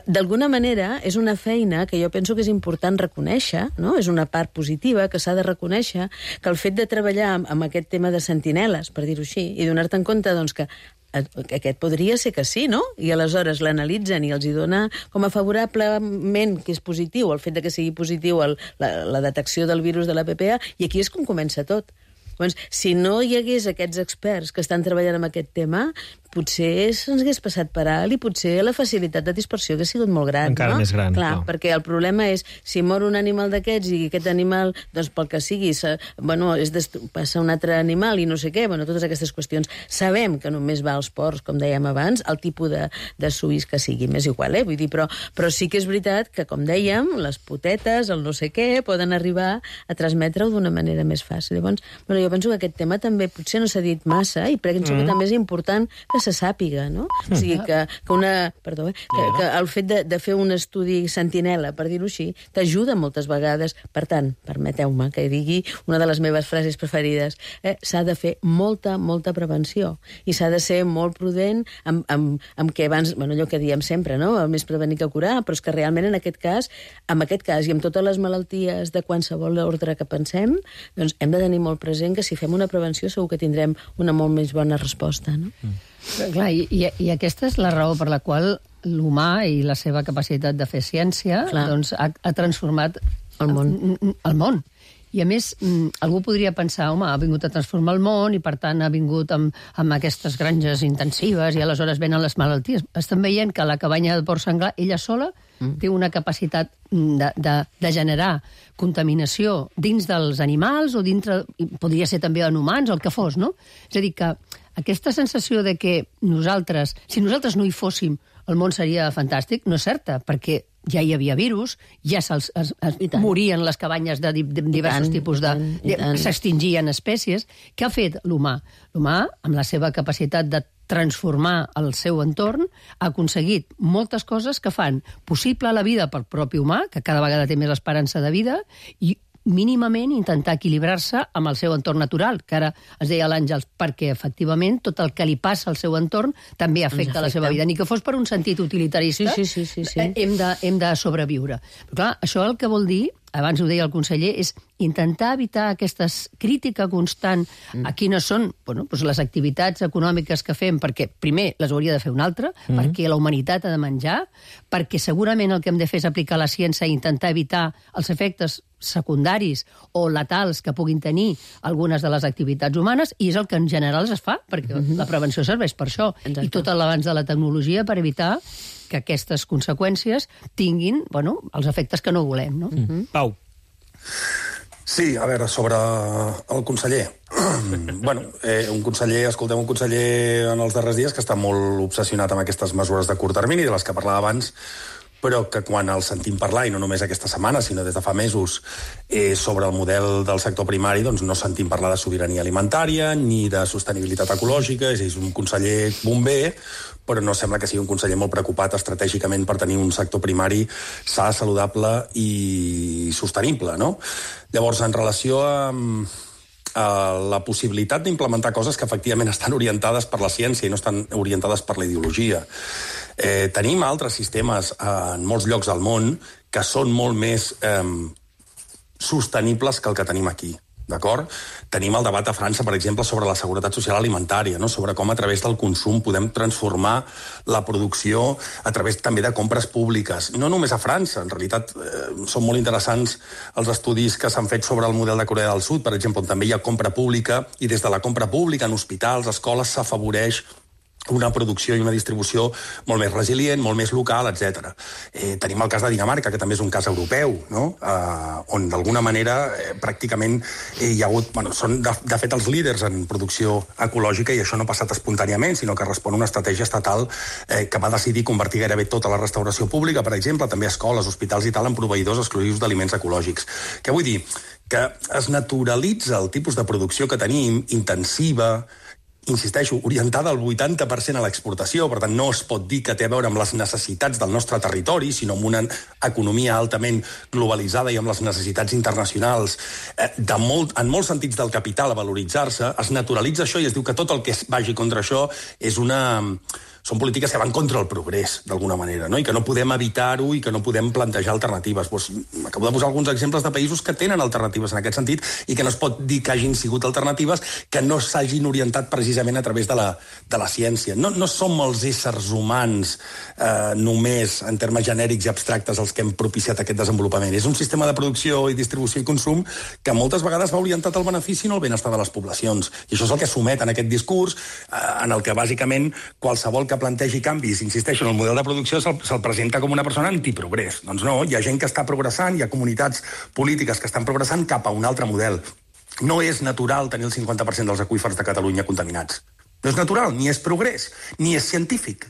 d'alguna manera és una feina que jo penso que és important reconèixer, no? És una part positiva que s'ha de reconèixer, que el fet de treballar amb, amb aquest tema de sentineles, per dir-ho així, i donar-te en compte doncs, que aquest podria ser que sí, no? I aleshores l'analitzen i els hi dona com a favorablement que és positiu el fet de que sigui positiu el, la, la detecció del virus de la P P A, i aquí és com comença tot. Doncs, si no hi hagués aquests experts que estan treballant amb aquest tema, potser se'ns hagués passat per alt i potser la facilitat de dispersió hagués sigut molt gran. Encara no? més gran. Clar, no. Perquè el problema és, si mor un animal d'aquests i aquest animal, doncs pel que sigui, se, bueno, és passa un altre animal i no sé què, bueno, totes aquestes qüestions. Sabem que només va als porcs, com dèiem abans, el tipus de, de suís que sigui, m'és igual, eh? Vull dir, però, però sí que és veritat que, com dèiem, les potetes, el no sé què, poden arribar a transmetre-ho d'una manera més fàcil. Llavors, bueno, jo penso que aquest tema també potser no s'ha dit massa i penso mm. que també és important que se sàpiga, no? Mm. O sigui, que, que una... Perdó, eh? Que, que el fet de, de fer un estudi sentinela, per dir-ho així, t'ajuda moltes vegades. Per tant, permeteu-me que digui una de les meves frases preferides, eh? S'ha de fer molta, molta prevenció i s'ha de ser molt prudent amb, amb, amb què abans, bueno, allò que diem sempre, no? El més prevenir que curar, però és que realment en aquest cas, en aquest cas i amb totes les malalties de qualsevol ordre que pensem, doncs hem de tenir molt present que si fem una prevenció segur que tindrem una molt més bona resposta, no? Mm. Però, clar, i, i, i aquesta és la raó per la qual l'humà i la seva capacitat de fer ciència doncs, ha, ha transformat el món. el món. I a més, algú podria pensar, home, ha vingut a transformar el món i per tant ha vingut amb, amb aquestes granges intensives i aleshores venen les malalties. Estem veient que la cabanya de porc senglar, ella sola, mm. té una capacitat de, de, de generar contaminació dins dels animals o dintre, podria ser també en humans o el que fos, no? És a dir, que aquesta sensació de que nosaltres, si nosaltres no hi fóssim, el món seria fantàstic, no és certa, perquè ja hi havia virus, ja es, es, es morien les cabanyes de, de diversos tant, tipus de... de s'extingien espècies. Què ha fet l'humà? L'humà, amb la seva capacitat de transformar el seu entorn, ha aconseguit moltes coses que fan possible la vida pel propi humà, que cada vegada té més esperança de vida, i mínimament intentar equilibrar-se amb el seu entorn natural, que ara es deia l'Àngels, perquè efectivament tot el que li passa al seu entorn també afecta, afecta. la seva vida. Ni que fos per un sentit utilitarista, sí, sí, sí, sí, sí. Hem, de, hem de sobreviure. Però clar, això el que vol dir, abans ho deia el conseller, és intentar evitar aquesta crítica constant mm. a quines són bueno, doncs les activitats econòmiques que fem, perquè primer les hauria de fer un altre, mm. perquè la humanitat ha de menjar, perquè segurament el que hem de fer és aplicar la ciència i intentar evitar els efectes secundaris o letals que puguin tenir algunes de les activitats humanes, i és el que en general es fa, perquè mm-hmm. la prevenció serveix per això. Exacte. I tot l'avanç de la tecnologia per evitar que aquestes conseqüències tinguin bueno, els efectes que no volem. No? Mm-hmm. Pau. Sí, a veure, sobre el conseller. bueno, eh, un conseller, escoltem un conseller en els darrers dies que està molt obsessionat amb aquestes mesures de curt termini, de les que parlava abans, però que quan el sentim parlar, i no només aquesta setmana, sinó des de fa mesos, eh, sobre el model del sector primari, doncs no sentim parlar de sobirania alimentària ni de sostenibilitat ecològica, és un conseller bomber, però no sembla que sigui un conseller molt preocupat estratègicament per tenir un sector primari sa, saludable i sostenible, no? Llavors, en relació amb a la possibilitat d'implementar coses que efectivament estan orientades per la ciència i no estan orientades per la ideologia. Eh, tenim altres sistemes en molts llocs del món que són molt més eh, sostenibles que el que tenim aquí. D'acord? Tenim el debat a França, per exemple, sobre la seguretat social alimentària, no? Sobre com a través del consum podem transformar la producció a través també de compres públiques. No només a França, en realitat eh, són molt interessants els estudis que s'han fet sobre el model de Corea del Sud, per exemple, on també hi ha compra pública, i des de la compra pública en hospitals, escoles, s'afavoreix una producció i una distribució molt més resilient, molt més local, etcètera. Eh, tenim el cas de Dinamarca, que també és un cas europeu, no? eh, on d'alguna manera eh, pràcticament eh, hi ha hagut... Bueno, són de, de fet els líders en producció ecològica i això no ha passat espontàniament, sinó que respon a una estratègia estatal eh, que va decidir convertir gairebé tota la restauració pública, per exemple, també escoles, hospitals i tal, en proveïdors exclusius d'aliments ecològics. Què vull dir? Que es naturalitza el tipus de producció que tenim, intensiva, insisteixo, orientada al vuitanta per cent a l'exportació, per tant no es pot dir que té a veure amb les necessitats del nostre territori, sinó amb una economia altament globalitzada i amb les necessitats internacionals, eh, de molt, en molts sentits del capital a valoritzar-se, es naturalitza això i es diu que tot el que vagi contra això és una... són polítiques que van contra el progrés, d'alguna manera, no? I que no podem evitar-ho i que no podem plantejar alternatives. Pues, acabo de posar alguns exemples de països que tenen alternatives en aquest sentit i que no es pot dir que hagin sigut alternatives que no s'hagin orientat precisament a través de la, de la ciència. No, no som els éssers humans eh, només, en termes genèrics i abstractes, els que hem propiciat aquest desenvolupament. És un sistema de producció i distribució i consum que moltes vegades va orientat al benefici i no al benestar de les poblacions. I això és el que somet en aquest discurs, eh, en el que bàsicament qualsevol que plantegi canvis, insisteixo, en el model de producció se'l se presenta com una persona antiprogrés. Doncs no, hi ha gent que està progressant, hi ha comunitats polítiques que estan progressant cap a un altre model. No és natural tenir el cinquanta per cent dels aqüífers de Catalunya contaminats. No és natural, ni és progrés, ni és científic.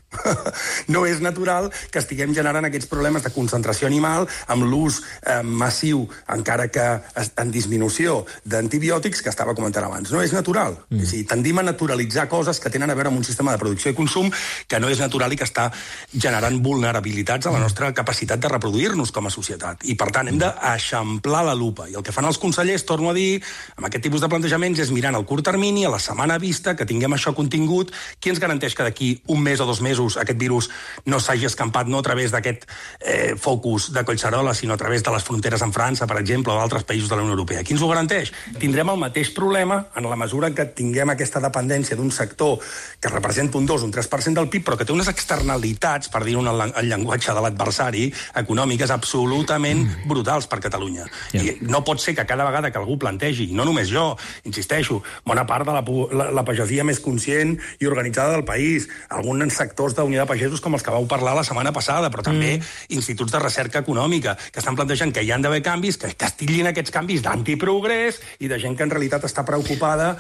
No és natural que estiguem generant aquests problemes de concentració animal amb l'ús eh, massiu, encara que en disminució, d'antibiòtics que estava comentant abans. No és natural. Mm. És a dir, tendim a naturalitzar coses que tenen a veure amb un sistema de producció i consum que no és natural i que està generant vulnerabilitats a la nostra capacitat de reproduir-nos com a societat. I, per tant, hem d'eixamplar la lupa. I el que fan els consellers, torno a dir, amb aquest tipus de plantejaments, és mirant al curt termini, a la setmana vista, que tinguem això contingut, qui ens garanteix que d'aquí un mes o dos mesos aquest virus no s'hagi escampat no a través d'aquest eh, focus de Collserola, sinó a través de les fronteres amb França, per exemple, o d'altres països de la Unió Europea? Qui ens ho garanteix? Tindrem el mateix problema en la mesura que tinguem aquesta dependència d'un sector que representa un dos, un tres per cent del P I B, però que té unes externalitats, per dir-ho en el llenguatge de l'adversari, econòmiques absolutament brutals per Catalunya. I no pot ser que cada vegada que algú plantegi, i no només jo, insisteixo, bona part de la, la, la pagesia més conscient i organitzada del país, alguns sectors d'Unió de Pagesos com els que vau parlar la setmana passada, però també mm. instituts de recerca econòmica, que estan plantejant que hi han d'haver canvis, que castillin aquests canvis d'antiprogrés i de gent que en realitat està preocupada,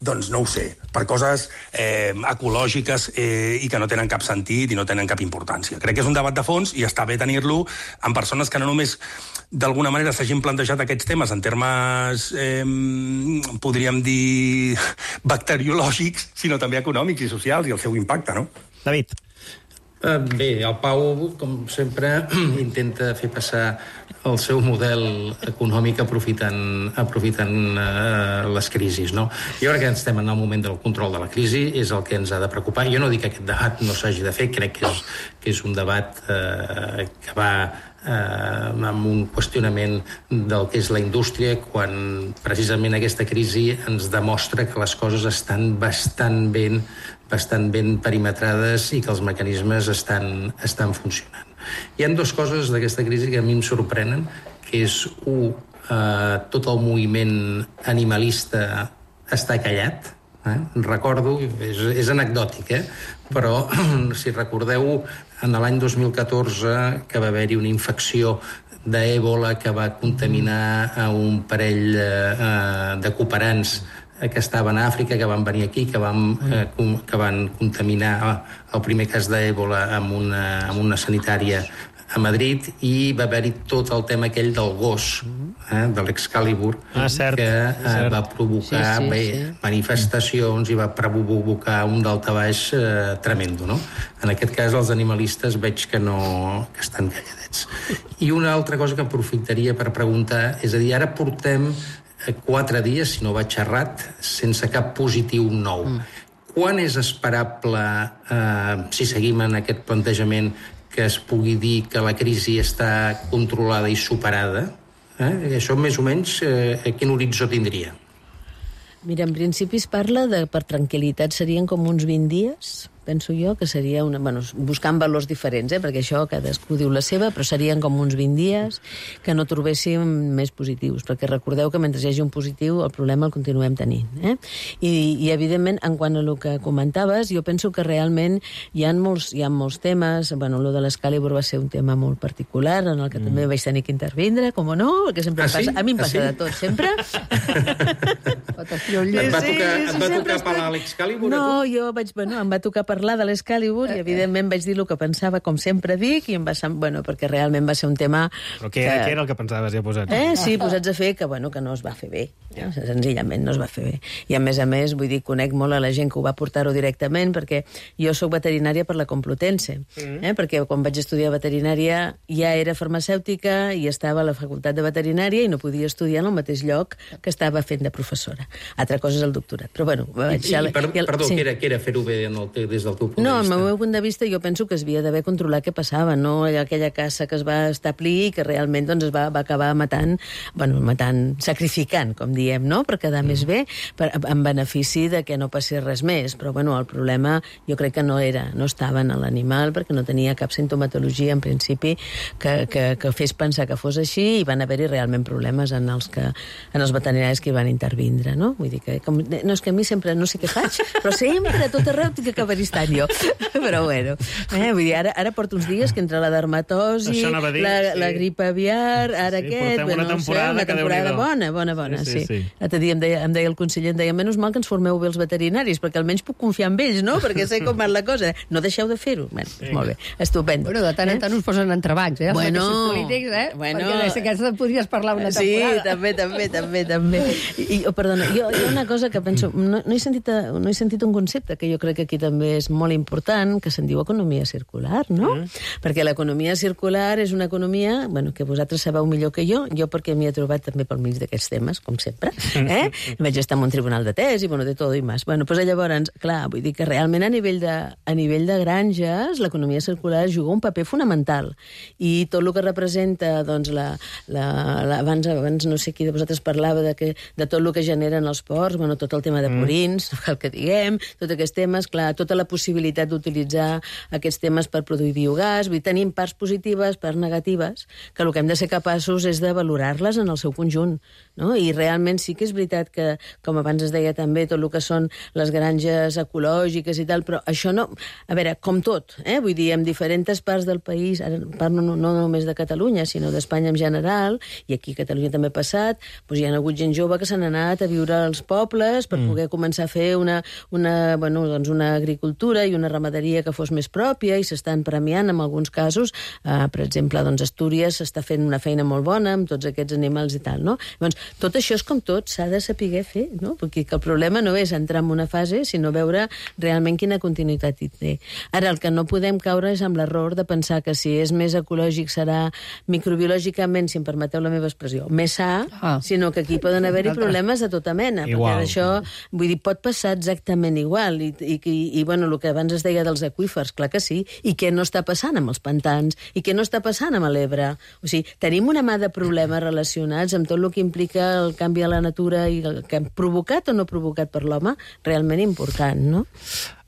doncs no ho sé, per coses eh, ecològiques eh, i que no tenen cap sentit i no tenen cap importància. Crec que és un debat de fons i està bé tenir-lo amb persones que no només d'alguna manera s'hagin plantejat aquests temes en termes, eh, podríem dir, bacteriològics, sinó també econòmics i socials i el seu impacte, no? David. Uh, bé, el Pau, com sempre, intenta fer passar el seu model econòmic aprofitant, aprofitant uh, les crisis, no? Jo crec que estem en el moment del control de la crisi, és el que ens ha de preocupar. Jo no dic que aquest debat no s'hagi de fer, crec que és, que és un debat uh, que va eh, amb un qüestionament del que és la indústria, quan precisament aquesta crisi ens demostra que les coses estan bastant ben, bastant ben perimetrades i que els mecanismes estan, estan funcionant. Hi ha dues coses d'aquesta crisi que a mi em sorprenen, que és, un, eh, tot el moviment animalista està callat. Eh? Recordo, és, és anecdòtic, eh? Però si recordeu, en l'any dos mil catorze que va haver-hi una infecció d'èbola que va contaminar a un parell eh, de cooperants que estaven a Àfrica, que van venir aquí, que van, eh, que van contaminar el primer cas d'èbola amb una, amb una sanitària a Madrid, i va haver-hi tot el tema aquell del gos, eh, de l'Excalibur, ah, cert, que eh, cert. va provocar sí, sí, bé, sí. manifestacions i va provocar un daltabaix eh, tremendo, no? En aquest cas, els animalistes veig que no que estan calladets. I una altra cosa que aprofitaria per preguntar, és a dir, ara portem quatre dies, si no vaig errat, sense cap positiu nou. Mm. Quan és esperable, eh, si seguim en aquest plantejament, que es pugui dir que la crisi està controlada i superada? Eh? Això més o menys eh, quin horitzó tindria? Mira, en principi es parla de, per tranquil·litat, serien com uns vint dies, penso jo, que seria una... Bueno, buscant valors diferents, eh? Perquè això cadascú diu la seva, però serien com uns vint dies que no trobéssim més positius, perquè recordeu que mentre hi hagi un positiu el problema el continuem tenint. Eh? I, I, evidentment, en quant a el que comentaves, jo penso que realment hi ha molts, hi ha molts temes. Bueno, lo de l'Excalibur va ser un tema molt particular, en el que mm. també vaig tenir que intervindre, com no, perquè sempre ah, passa... Sí? A mi em ah, passa sí? de tot, sempre. Et va tocar, et va tocar parlar de l'Excalibur? No, jo vaig... Bueno, em va tocar parlar de l'Excalibur i, evidentment, vaig dir el que pensava, com sempre dic, i em va semblar... Bueno, perquè realment va ser un tema... Però què, que... què era el que pensaves ja posats? Eh, sí, posats a fer que, bueno, que no es va fer bé. Ja. Senzillament no es va fer bé. I, a més a més, vull dir, conec molt a la gent que ho va portar-ho directament, perquè jo sóc veterinària per la Complutense, mm. eh? Perquè quan vaig estudiar veterinària ja era farmacèutica i estava a la facultat de veterinària i no podia estudiar en el mateix lloc que estava fent de professora. Altra cosa és el doctorat. Però, bueno... I, i, i, per, el, perdó, sí. què era, què era fer-ho bé en el, des del teu punt no, de vista? No, al meu punt de vista jo penso que es havia d'haver controlat què passava, no aquella caça que es va establir i que realment doncs, es va, va acabar matant, bueno, matant, sacrificant, com diem, no?, per quedar mm. més bé, per, en benefici de que no passés res més. Però, bueno, el problema jo crec que no era, no estava en l'animal perquè no tenia cap sintomatologia, en principi, que, que, que fes pensar que fos així, i van haver-hi realment problemes en els, que, en els veterinaris que hi van intervindre, no? Vull dir que, com, no, és que a mi sempre no sé què faig, però sempre a tot arreu tinc que acabar estant jo. Però, bueno, eh, vull dir, ara, ara porto uns dies que entre la dermatosi, dir, la, sí. la grip aviar, ara sí, aquest... Portem una temporada, no sé, una temporada bona, bona, bona, sí. sí, sí. sí. L'altre dia em deia, em deia el conseller, em deia, menys mal que ens formeu bé els veterinaris, perquè almenys puc confiar en ells, no?, perquè sé com va la cosa. No deixeu de fer-ho. Bueno, sí. Molt bé, estupendo. Bueno, de tant en tant us posen entrebancs, eh? Els bueno, polítics, eh? Bueno, perquè d'aquesta podries parlar una temporada. Sí, també, també, també, també. I, oh, perdona, jo, hi ha una cosa que penso... No, no, he sentit, no he sentit un concepte que jo crec que aquí també és molt important, que se'n diu economia circular, no? Mm. Perquè l'economia circular és una economia, bueno, que vosaltres sabeu millor que jo, jo perquè m'hi he trobat també pel mig d'aquests temes, com sempre, eh? Vaig estar en un tribunal de tesi, bueno, de tot i més. Bueno, doncs llavors, clar, vull dir que realment a nivell de, a nivell de granges l'economia circular juga un paper fonamental. I tot el que representa, doncs, la, la, la, abans, abans no sé qui de vosaltres parlava de, que, de tot el que generen els ports, bueno, tot el tema de purins, mm. el que diguem, tots aquests temes, clar, tota la possibilitat d'utilitzar aquests temes per produir biogàs, vull dir, tenim parts positives, parts negatives, que el que hem de ser capaços és de valorar-les en el seu conjunt, no? I realment sí que és veritat que, com abans es deia també, tot el que són les granges ecològiques i tal, però això no... A veure, com tot, eh? Vull dir, en diferents parts del país, ara parlo no, no només de Catalunya, sinó d'Espanya en general, i aquí a Catalunya també ha passat, doncs hi ha hagut gent jove que s'han anat a viure als pobles per mm. poder començar a fer una, una, bueno, doncs una agricultura i una ramaderia que fos més pròpia, i s'estan premiant en alguns casos. Uh, per exemple, doncs Astúries s'està fent una feina molt bona amb tots aquests animals i tal, no? Doncs tot això és com tot, s'ha de saber fer, no? Perquè el problema no és entrar en una fase, sinó veure realment quina continuïtat hi té. Ara, el que no podem caure és amb l'error de pensar que si és més ecològic serà microbiològicament, si em permeteu la meva expressió, més sa, ah. sinó que aquí poden haver-hi problemes de tota mena. Igual. Perquè això, vull dir, pot passar exactament igual. I, i, i, i bueno, el que abans es deia dels aqüífers, clar que sí. I què no està passant amb els pantans? I què no està passant amb l'Ebre? O sigui, tenim una mà de problemes relacionats amb tot el que implica el canvi a la natura i el que han provocat o no provocat per l'home, realment important, no?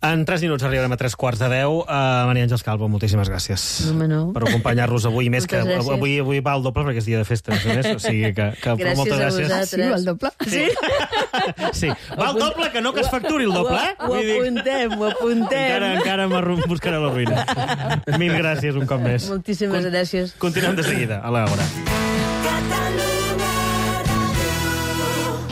En tres minuts arribarem a tres quarts de deu. Uh, Maria Àngels Calvo, moltíssimes gràcies no, no. per acompanyar-nos avui. Més que gràcies. avui, avui va al doble perquè és dia de festa, a més. O sigui que, que gràcies moltes gràcies. a vosaltres. Sí, va al doble? Sí. sí. Va al doble, que no que es facturi el doble, eh? Ho, ho apuntem, ho apuntem. Encara, encara em buscaré la ruïna. Mil gràcies un cop més. Moltíssimes Con gràcies. Continuem de seguida, a l'hora.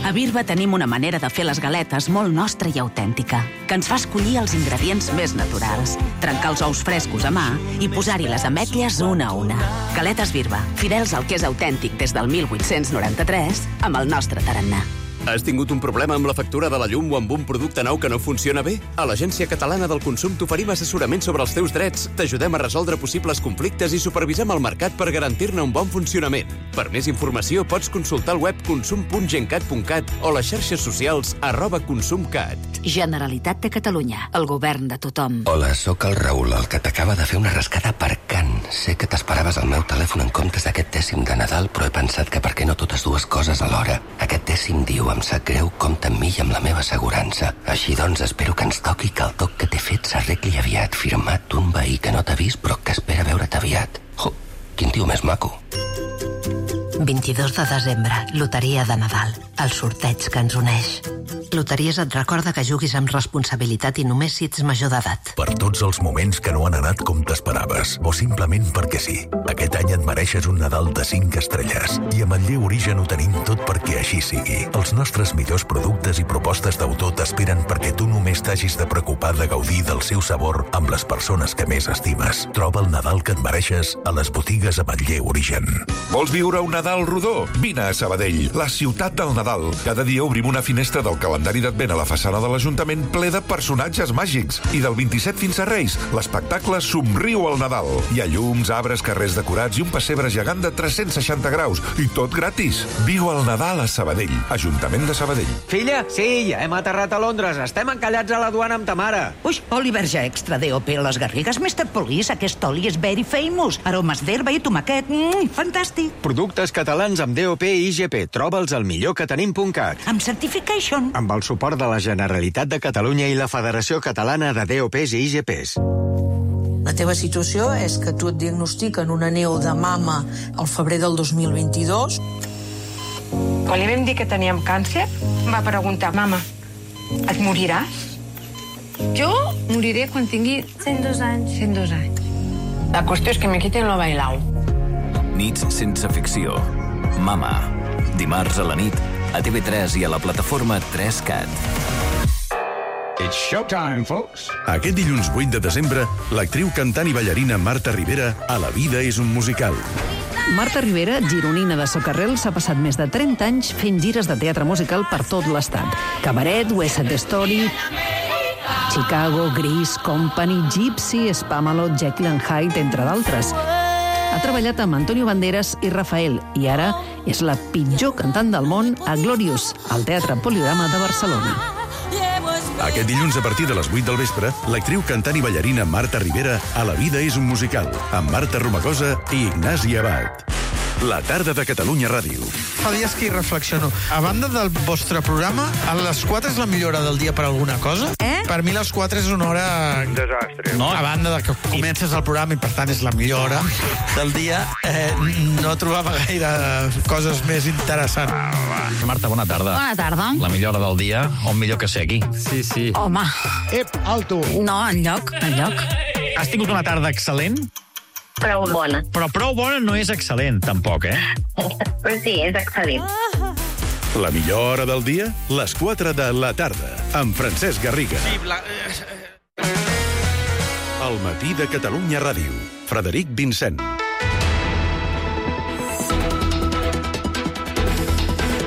A Birba tenim una manera de fer les galetes molt nostra i autèntica, que ens fa escollir els ingredients més naturals, trencar els ous frescos a mà i posar-hi les ametlles una a una. Galetes Birba, fidels al que és autèntic des del mil vuit-cents noranta-tres, amb el nostre tarannà. Has tingut un problema amb la factura de la llum o amb un producte nou que no funciona bé? A l'Agència Catalana del Consum t'oferim assessorament sobre els teus drets, t'ajudem a resoldre possibles conflictes i supervisem el mercat per garantir-ne un bon funcionament. Per més informació pots consultar el web consum punt gencat punt cat o les xarxes socials arroba consumcat. Generalitat de Catalunya, el govern de tothom. Hola, sóc el Raül, el que t'acaba de fer una rascada per Can. sé que t'esperaves el meu telèfon en comptes d'aquest dècim de Nadal, però he pensat que per què no totes dues coses alhora? Aquest dècim diu, em sap greu, compta amb mi i amb la meva assegurança. Així doncs, espero que ens toqui que el toc que t'he fet s'arregli aviat, firmat un veí que no t'ha vist però que espera veure't aviat. Jo, quin tio més maco. vint-i-dos de desembre, loteria de Nadal, el sorteig que ens uneix. Loteries et recorda que juguis amb responsabilitat i només si ets major d'edat. Per tots els moments que no han anat com t'esperaves, o simplement perquè sí. Aquest any et mereixes un Nadal de cinc estrelles. I amb el Lleu Origen ho tenim tot perquè així sigui. Els nostres millors productes i propostes d'autor t'esperen perquè tu només t'hagis de preocupar de gaudir del seu sabor amb les persones que més estimes. Troba el Nadal que et mereixes a les botigues amb el Lleu Origen. Vols viure un Nadal rodó? Vine a Sabadell, la ciutat del Nadal. Cada dia obrim una finestra del calendari d'Advent a la façana de l'Ajuntament ple de personatges màgics. I del vint-i-set fins a Reis, l'espectacle Somriu al Nadal. Hi ha llums, arbres, carrers decorats i un pessebre gegant de tres-cents seixanta graus. I tot gratis. Viu el Nadal a Sabadell. Ajuntament de Sabadell. Filla, sí, ja hem aterrat a Londres. Estem encallats a la duana amb ta mare. Ui, oli verge extra D O P. Les Garrigues mister Police. Aquest oli és very famous. Aromes d'herba i tomaquet. Mm, fantàstic. Productes catalans amb D O P i I G P. Troba'ls al millor que tenim punt cat. Amb certification. Amb el suport de la Generalitat de Catalunya i la Federació Catalana de D O Ps i I G Ps. La teva situació és que tu et diagnostiquen una neu de mama al febrer del dos mil vint-i-dos. Quan li vam dir que teníem càncer, va preguntar, mama, et moriràs? Jo moriré quan tingui cent dos anys. cent dos anys. La qüestió és que me quiten lo bailau. Nits sense ficció. Mama. Dimarts a la nit, a T V tres i a la plataforma tres cat. It's showtime, folks. Aquest dilluns vuit de desembre, l'actriu, cantant i ballarina Marta Rivera a La vida és un musical. Marta Rivera, gironina de Socarrel, s'ha passat més de trenta anys fent gires de teatre musical per tot l'estat. Cabaret, West Side Story, Chicago, Grease, Company, Gypsy, Spamalot, Jekyll and Hyde, entre d'altres. Ha treballat amb Antonio Banderas i Rafael i ara és la pitjor cantant del món a Glorious, al Teatre Poliorama de Barcelona. Aquest dilluns a partir de les vuit del vespre, l'actriu, cantant i ballarina Marta Rivera a La vida és un musical, amb Marta Romagosa i Ignasi Abad. La tarda de Catalunya Ràdio. Fa dies que hi reflexiono. A banda del vostre programa, a les quatre és la millor hora del dia per alguna cosa? Eh? Per mi les quatre és una hora... Desastre. No, a banda de que comences el programa i per tant és la millor hora del dia, eh, no trobava gaire coses més interessants. Ah, Marta, bona tarda. Bona tarda. La millor hora del dia, on millor que ser aquí. Sí, sí. Home. Ep, alto. No, enlloc, enlloc. Has tingut una tarda excel·lent? Prou bona. Però prou bona no és excel·lent, tampoc, eh? Però sí, és excel·lent. La millor hora del dia? Les quatre de la tarda, amb Francesc Garriga. Sí, la... El matí de Catalunya Ràdio. Frederic Vincent.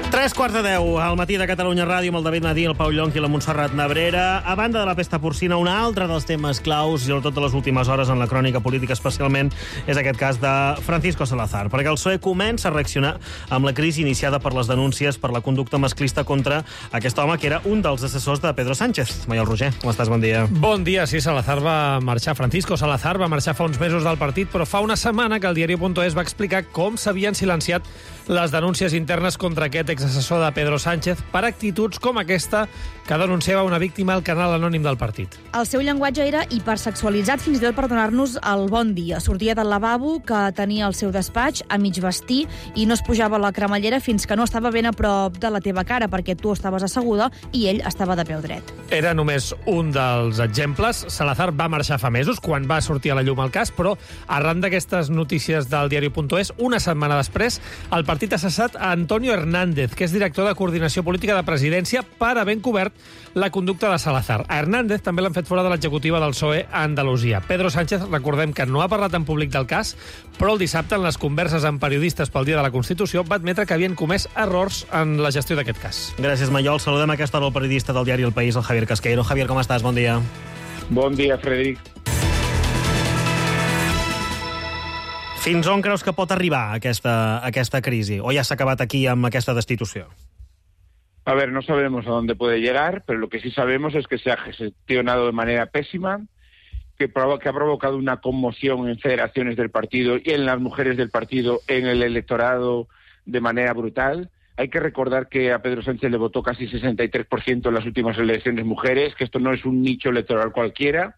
Tres quarts de deu, al matí de Catalunya Ràdio, amb el David Nadí, el Pau Llonch i la Montserrat Nebrera. A banda de la pesta porcina, un altre dels temes claus, i sobretot de les últimes hores en la crònica política especialment, és aquest cas de Francisco Salazar, perquè el P S O E comença a reaccionar amb la crisi iniciada per les denúncies per la conducta masclista contra aquest home que era un dels assessors de Pedro Sánchez. Maiol Roger, com estàs? Bon dia. Bon dia, sí, Salazar va marxar, Francisco Salazar va marxar fa uns mesos del partit, però fa una setmana que el diari punt es va explicar com s'havien silenciat les denúncies internes contra aquest exassessor de Pedro Sánchez per actituds com aquesta que denunciava una víctima al canal anònim del partit. El seu llenguatge era hipersexualitzat, fins i tot per donar-nos el bon dia. Sortia del lavabo que tenia al seu despatx a mig vestir i no es pujava a la cremallera fins que no estava ben a prop de la teva cara, perquè tu estaves asseguda i ell estava de peu dret. Era només un dels exemples. Salazar va marxar fa mesos, quan va sortir a la llum el cas, però arran d'aquestes notícies del diari punt es, una setmana després, el partit ha cessat a Antonio Hernández, que és director de Coordinació Política de Presidència, per haver encobert la conducta de Salazar. A Hernández també l'han fet fora de l'executiva del P S O E a Andalusia. Pedro Sánchez, recordem que no ha parlat en públic del cas, però el dissabte, en les converses amb periodistes pel Dia de la Constitució, va admetre que havien comès errors en la gestió d'aquest cas. Gràcies, Maiol. Saludem a aquesta hora el periodista del diari El País, el Javier Casqueiro. Javier, com estàs? Bon dia. Bon dia, Frederic. Fins on creus que pot arribar aquesta, aquesta crisi? O ja s'ha acabat aquí amb aquesta destitució? A ver, no sabemos a dónde puede llegar, pero lo que sí sabemos es que se ha gestionado de manera pésima que, provo que ha provocado una conmoción en federaciones del partido y en las mujeres del partido, en el electorado de manera brutal. Hay que recordar que a Pedro Sánchez le votó casi sesenta y tres por ciento en las últimas elecciones mujeres, que esto no es un nicho electoral cualquiera.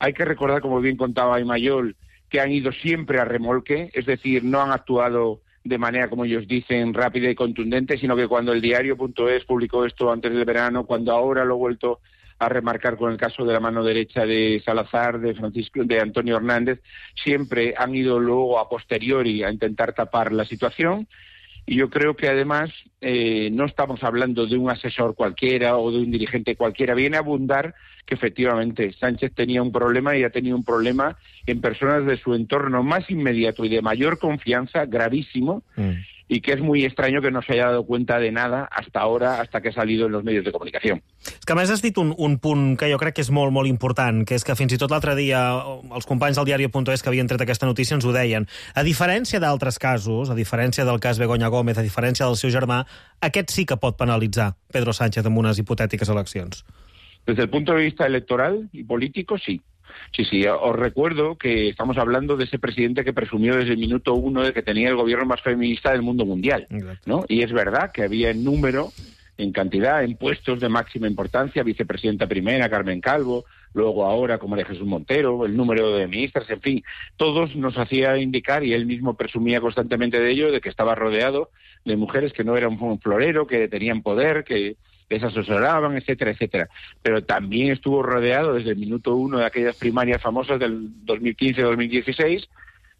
Hay que recordar, como bien contaba Imayol, que han ido siempre a remolque, es decir, no han actuado de manera, como ellos dicen, rápida y contundente, sino que cuando el diario punto es publicó esto antes del verano, cuando ahora lo he vuelto a remarcar con el caso de la mano derecha de Salazar, de Francisco, de Antonio Hernández, siempre han ido luego a posteriori a intentar tapar la situación. Y yo creo que además eh, no estamos hablando de un asesor cualquiera o de un dirigente cualquiera. Viene a abundar que efectivamente Sánchez tenía un problema y ha tenido un problema en personas de su entorno más inmediato y de mayor confianza, gravísimo, mm. y que és muy extraño que no se haya dado cuenta de nada hasta ahora, hasta que ha salido en los medios de comunicación. És que a més has dit un, un punt que jo crec que és molt, molt important, que és que fins i tot l'altre dia els companys del diario punto es que havien tret aquesta notícia ens ho deien. A diferència d'altres casos, a diferència del cas Begoña Gómez, a diferència del seu germà, aquest sí que pot penalitzar Pedro Sánchez en unes hipotètiques eleccions. Desde el punto de vista electoral y político, sí. Sí, sí, os recuerdo que estamos hablando de ese presidente que presumió desde el minuto uno de que tenía el gobierno más feminista del mundo mundial, ¿no? Y es verdad que había en número, en cantidad, en puestos de máxima importancia, vicepresidenta primera, Carmen Calvo, luego ahora como de Jesús Montero, el número de ministras, en fin, todos nos hacía indicar, y él mismo presumía constantemente de ello, de que estaba rodeado de mujeres que no eran un florero, que tenían poder, que les asesoraban, etcétera, etcétera. Pero también estuvo rodeado desde el minuto uno de aquellas primarias famosas del dos mil quince dos mil dieciséis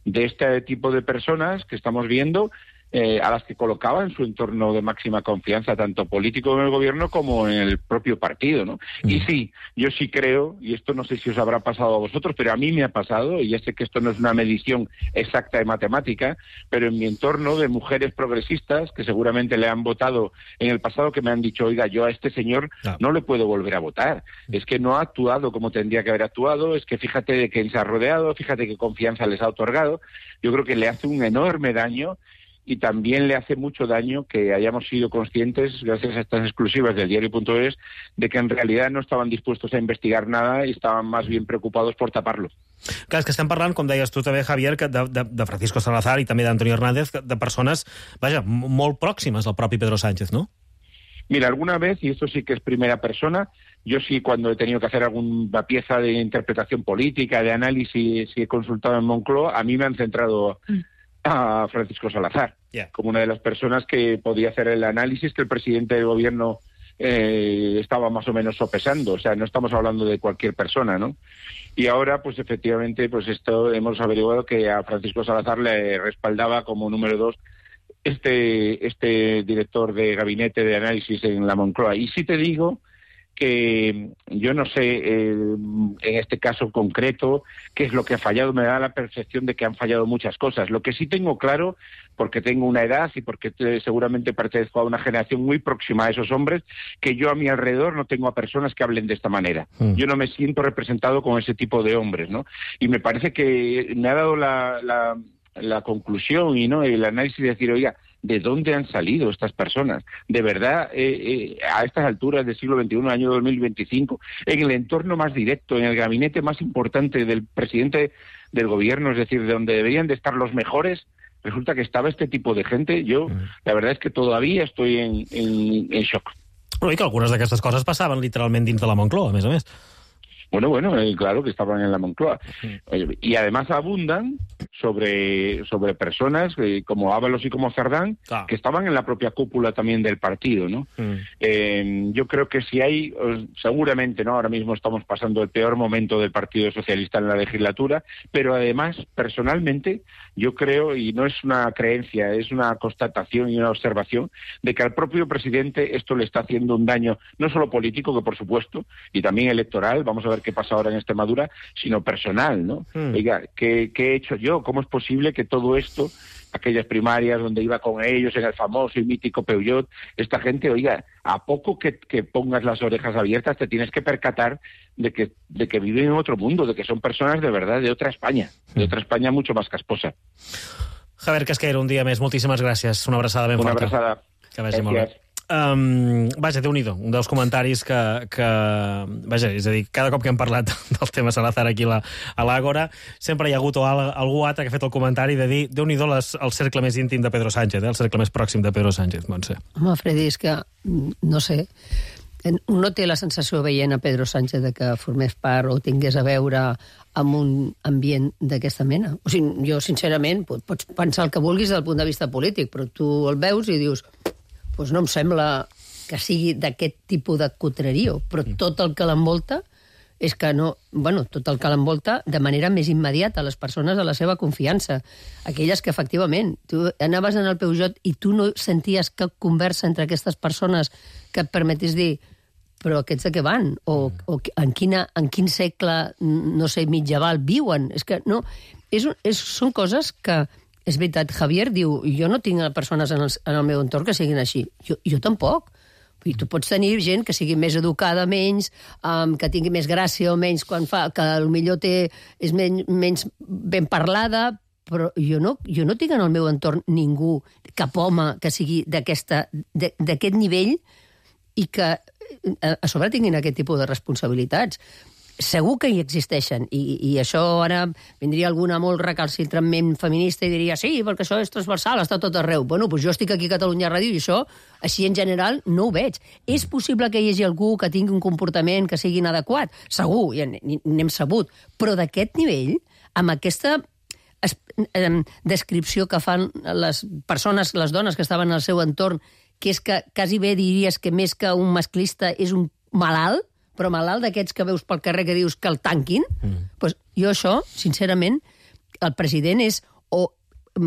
de este tipo de personas que estamos viendo, eh, a las que colocaba en su entorno de máxima confianza, tanto político en el gobierno como en el propio partido, ¿no? Mm. Y sí, yo sí creo, y esto no sé si os habrá pasado a vosotros, pero a mí me ha pasado, y ya sé que esto no es una medición exacta de matemática, pero en mi entorno de mujeres progresistas que seguramente le han votado en el pasado, que me han dicho, oiga, yo a este señor no, no le puedo volver a votar, es que no ha actuado como tendría que haber actuado, es que fíjate de quién se ha rodeado, fíjate qué confianza les ha otorgado. Yo creo que le hace un enorme daño. Y también le hace mucho daño que hayamos sido conscientes, gracias a estas exclusivas del diario punto es, de que en realidad no estaven dispuestos a investigar nada i estaven más bien preocupados por taparlo. Clar, és que estem parlant, com deies tu també, Javier, de, de, de Francisco Salazar i també d'Antonio Hernández, de persones, vaja, molt pròximes al propi Pedro Sánchez, ¿no? Mira, alguna vez, y esto sí que es primera persona, yo sí cuando he tenido que hacer alguna pieza de interpretación política, de análisis, si he consultado en Moncloa, a mí me han centrado a Francisco Salazar, yeah. como una de las personas que podía hacer el análisis que el presidente del gobierno eh, estaba más o menos sopesando. O sea, no estamos hablando de cualquier persona, ¿no? Y ahora, pues efectivamente, pues esto hemos averiguado que a Francisco Salazar le respaldaba como número dos este, este director de gabinete de análisis en la Moncloa. Y sí te digo que yo no sé eh, en este caso concreto qué es lo que ha fallado, me da la percepción de que han fallado muchas cosas. Lo que sí tengo claro, porque tengo una edad y porque te, seguramente pertenezco a una generación muy próxima a esos hombres, que yo a mi alrededor no tengo a personas que hablen de esta manera. Mm. Yo no me siento representado con ese tipo de hombres, ¿no? Y me parece que me ha dado la, la, la conclusión y no el análisis de decir, oiga, ¿de dónde han salido estas personas? De verdad, eh, eh, a estas alturas del siglo veintiuno, año dos mil veinticinco, en el entorno más directo, en el gabinete más importante del presidente del gobierno, es decir, de donde deberían de estar los mejores, resulta que estaba este tipo de gente. Yo, mm. la verdad es que todavía estoy en, en, en shock. Però i que algunes d'aquestes coses passaven literalment dins de la Moncloa, a més a més. Bueno, bueno, eh, claro que estaban en la Moncloa. Sí. Y además abundan sobre, sobre personas eh, como Ábalos y como Cerdán, claro, que estaban en la propia cúpula también del partido, ¿no? Mm. Eh, yo creo que si hay, seguramente, ¿no? Ahora mismo estamos pasando el peor momento del Partido Socialista en la legislatura, pero además, personalmente, yo creo, y no es una creencia, es una constatación y una observación, de que al propio presidente esto le está haciendo un daño, no solo político, que por supuesto, y también electoral, vamos a ver qué pasa ahora en Extremadura, sino personal, ¿no? Mm. Oiga, ¿qué, ¿qué he hecho yo? ¿Cómo es posible que todo esto, aquellas primarias donde iba con ellos, en el famoso y mítico Peugeot, esta gente, oiga, a poco que, que pongas las orejas abiertas te tienes que percatar de que, de que viven en otro mundo, de que son personas de verdad de otra España, de otra España mucho más casposa. Javier Casqueiro, un dia més, moltíssimes gràcies. Una abraçada ben Una forta. abraçada. Que vagi molt bé. Um, vaja, Déu-n'hi-do, un dels comentaris que, que... Vaja, és a dir, cada cop que hem parlat del tema Salazar aquí la, a l'Àgora, sempre hi ha hagut algú altre que ha fet el comentari de dir Déu-n'hi-do les, el cercle més íntim de Pedro Sánchez, eh? El cercle més pròxim de Pedro Sánchez, Montse. Home, Freddy, és que, no sé, no té la sensació veient a Pedro Sánchez de que formés part o tingués a veure amb un ambient d'aquesta mena. O sigui, jo, sincerament, pots pensar el que vulguis del punt de vista polític, però tu el veus i dius... Doncs no em sembla que sigui d'aquest tipus de cotrerio, però tot el que l'envolta és que no... Bueno, tot el que l'envolta de manera més immediata a les persones de la seva confiança. Aquelles que, efectivament, tu anaves en el Peugeot i tu no senties cap conversa entre aquestes persones que et permetés dir però aquests de què van? O, o en, quina, en quin segle, no sé, mitjaval viuen? És que no... És, és, són coses que... És veritat, Javier diu, jo no tinc persones en el, en el meu entorn que siguin així. Jo, jo tampoc. I tu pots tenir gent que sigui més educada, menys, um, que tingui més gràcia o menys quan fa, que potser té, és menys, menys ben parlada, però jo no, jo no tinc en el meu entorn ningú, cap home que sigui d'aquest nivell i que a sobre tinguin aquest tipus de responsabilitats. Segur que hi existeixen, i, i això ara vindria alguna molt recalcitrament feminista i diria, sí, perquè això és transversal, està tot arreu. Bueno, doncs jo estic aquí a Catalunya Ràdio i això, així en general, no ho veig. És possible que hi hagi algú que tingui un comportament que sigui inadequat? Segur, ja n'hem sabut. Però d'aquest nivell, amb aquesta descripció que fan les persones, les dones que estaven al seu entorn, que és que quasi bé diries que més que un masclista és un malalt, però malalt d'aquests que veus pel carrer que dius que el tanquin, mm. pues jo això, sincerament, el president és o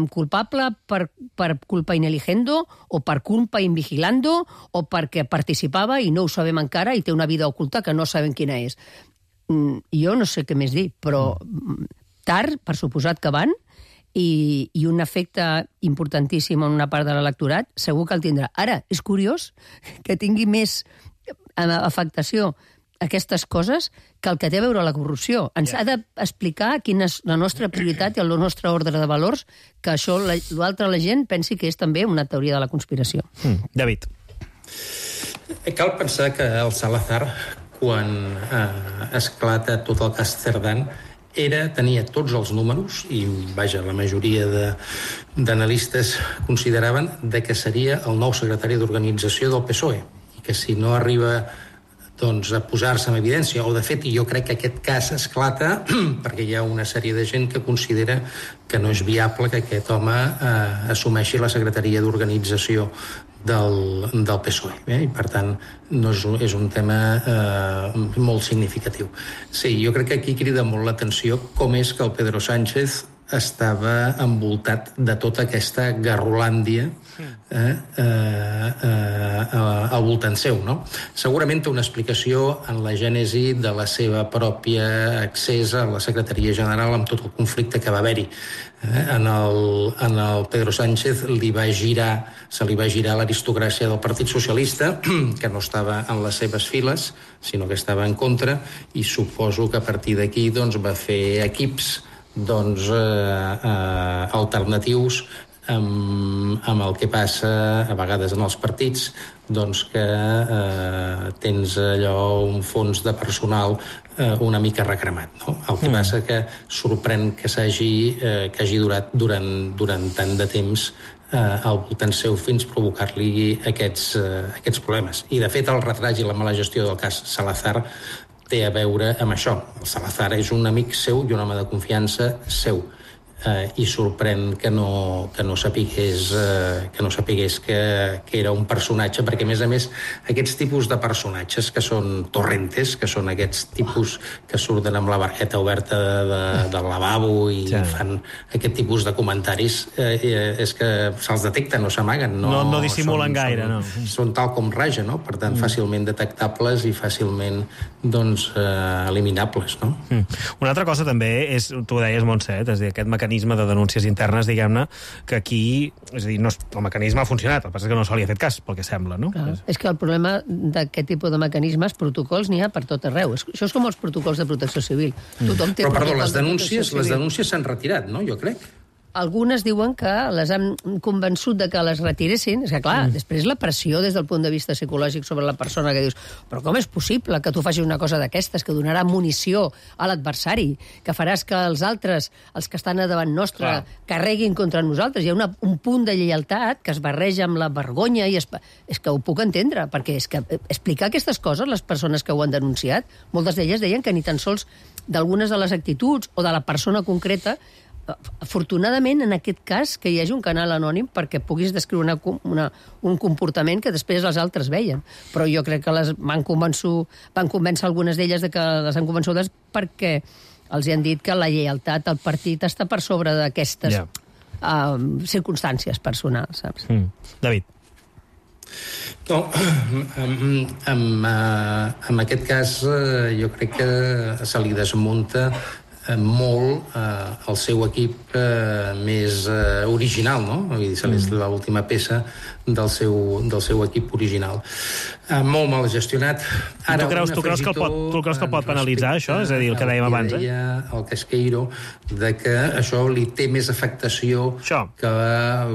culpable per, per culpa ineligendo, o per culpa invigilando, o perquè participava i no ho sabem encara i té una vida oculta que no sabem quina és. Mm, jo no sé què més dir, però mm. tard, per suposat que van, i, i un efecte importantíssim en una part de l'electorat, segur que el tindrà. Ara, és curiós que tingui més afectació aquestes coses que el que té a veure la corrupció. Ens yeah. ha d'explicar quina és la nostra prioritat i el nostre ordre de valors, que això, l'altre la gent pensi que és també una teoria de la conspiració. Mm. David. Cal pensar que el Salazar, quan eh, esclata tot el cas Cerdán, era, tenia tots els números, i vaja, la majoria d'analistes consideraven de que seria el nou secretari d'organització del P S O E, i que si no arriba doncs, a posar-se en evidència, o de fet jo crec que aquest cas esclata perquè hi ha una sèrie de gent que considera que no és viable que aquest home eh, assumeixi la secretaria d'organització del, del P S O E, eh? I per tant no és, és un tema eh, molt significatiu. Sí, jo crec que aquí crida molt l'atenció com és que el Pedro Sánchez estava envoltat de tota aquesta garrolàndia eh, eh, eh, al voltant seu, no? Segurament té una explicació en la gènesi de la seva pròpia accés a la secretaria general amb tot el conflicte que va haver-hi. Eh, en, el, en el Pedro Sánchez li va girar, se li va girar l'aristocràcia del Partit Socialista, que no estava en les seves files, sinó que estava en contra, i suposo que a partir d'aquí doncs, va fer equips doncs, eh, eh, alternatius amb, amb el que passa a vegades en els partits, doncs que eh, tens allò un fons de personal eh, una mica recremat, no? El que mm. passa que sorprèn que s'hagi eh, que hagi durat durant, durant tant de temps eh, al voltant seu fins provocar-li aquests, eh, aquests problemes. I de fet el retrat i la mala gestió del cas Salazar té a veure amb això. El Salazar és un amic seu i un home de confiança seu. Eh, i sorprèn que no, que no sapigués, eh, que, no sapigués que, que era un personatge, perquè a més a més aquests tipus de personatges que són torrentes, que són aquests tipus que surten amb la barqueta oberta de, de, del lavabo i sí. fan aquest tipus de comentaris, eh, és que se'ls detecta, no s'amaguen. No, no, no dissimulen són, gaire, són, no. Són tal com raja, no? Per tant, mm. fàcilment detectables i fàcilment doncs, eh, eliminables, no? Mm. Una altra cosa també és, tu ho deies, Montse, és a dir, aquest mecanisme mecanisme de denúncies internes, diguem-ne, que aquí, és a dir, no, el mecanisme ha funcionat, el que passa és que no se li ha fet cas, pel que sembla, no? Clar, és que el problema d'aquest tipus de mecanismes, protocols, n'hi ha per tot arreu. Això és com els protocols de protecció civil. Mm. Tothom té Però, perdó, les denúncies, de les denúncies s'han retirat, no?, jo crec. algunes diuen que les han convençut de que les retiressin. És que, clar, mm. després la pressió des del punt de vista psicològic sobre la persona que dius però com és possible que tu facis una cosa d'aquestes, que donarà munició a l'adversari, que faràs que els altres, els que estan a davant nostre, clar, carreguin contra nosaltres. Hi ha una, un punt de lleialtat que es barreja amb la vergonya i es, és que ho puc entendre, perquè és que explicar aquestes coses, les persones que ho han denunciat, moltes d'elles deien que ni tan sols d'algunes de les actituds o de la persona concreta. Afortunadament, en aquest cas, que hi hagi un canal anònim perquè puguis descriure una, una, un comportament que després els altres veien. Però jo crec que les van convencer, van convèncer algunes d'elles de que les han convençudes perquè els hi han dit que la lleialtat al partit està per sobre d'aquestes yeah. uh, circumstàncies personals, saps? Mm. David. No, en, en, en aquest cas jo crec que se li desmunta molt eh, el seu equip eh, més eh, original, no? Vull dir, se és l'última peça del seu, del seu equip original. Eh, molt mal gestionat. Ara, tu creus, tu creus que el pot, tu creus que el pot penalitzar, això? És a dir, el que dèiem abans, eh? El Casqueiro, de que això li té més afectació això. Que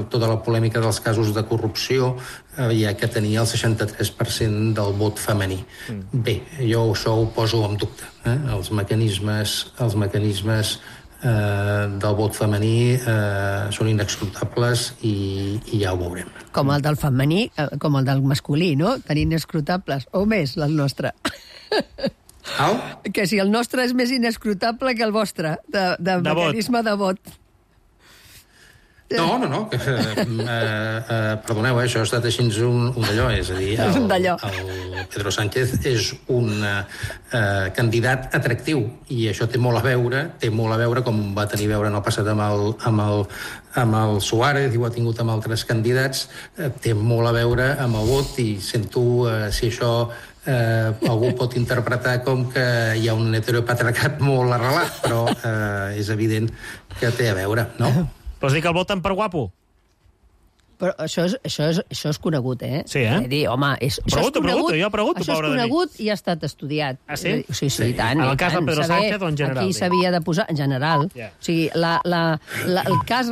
tota la polèmica dels casos de corrupció, eh, ja que tenia el seixanta-tres per cent del vot femení. Mm. Bé, jo això ho poso en dubte. Eh? Els mecanismes, els mecanismes eh, del vot femení eh, són inescrutables i, i ja ho veurem. Com el del femení, com el del masculí, no? Tan inescrutables, o més, el nostre. Au? Que si el nostre és més inescrutable que el vostre, de, de, de mecanisme vot. de vot. No, no, no, que, eh, eh, perdoneu, eh, això ha estat així un, un d'allò, és a dir, el, el Pedro Sánchez és un eh, candidat atractiu i això té molt a veure, té molt a veure com va tenir a veure en el passat amb el, amb el, amb el Suárez i ho ha tingut amb altres candidats, eh, té molt a veure amb el vot i sento eh, si això eh, algú pot interpretar com que hi ha un heteropatriarcat molt arrelat, però eh, és evident que té a veure, no? Vols dir que el voten per guapo? Però això és, això és, això és conegut, eh? Sí, eh? És dir, home, és, pregunto, això és conegut, pregunto, jo pregunto, això és conegut i ha estat estudiat. Ah, sí? Sí, sí, sí, i tant. En el i cas tant, del Pedro saber Sánchez o en general? Aquí s'havia de posar, en general. Yeah. O sigui, la, la, la, el cas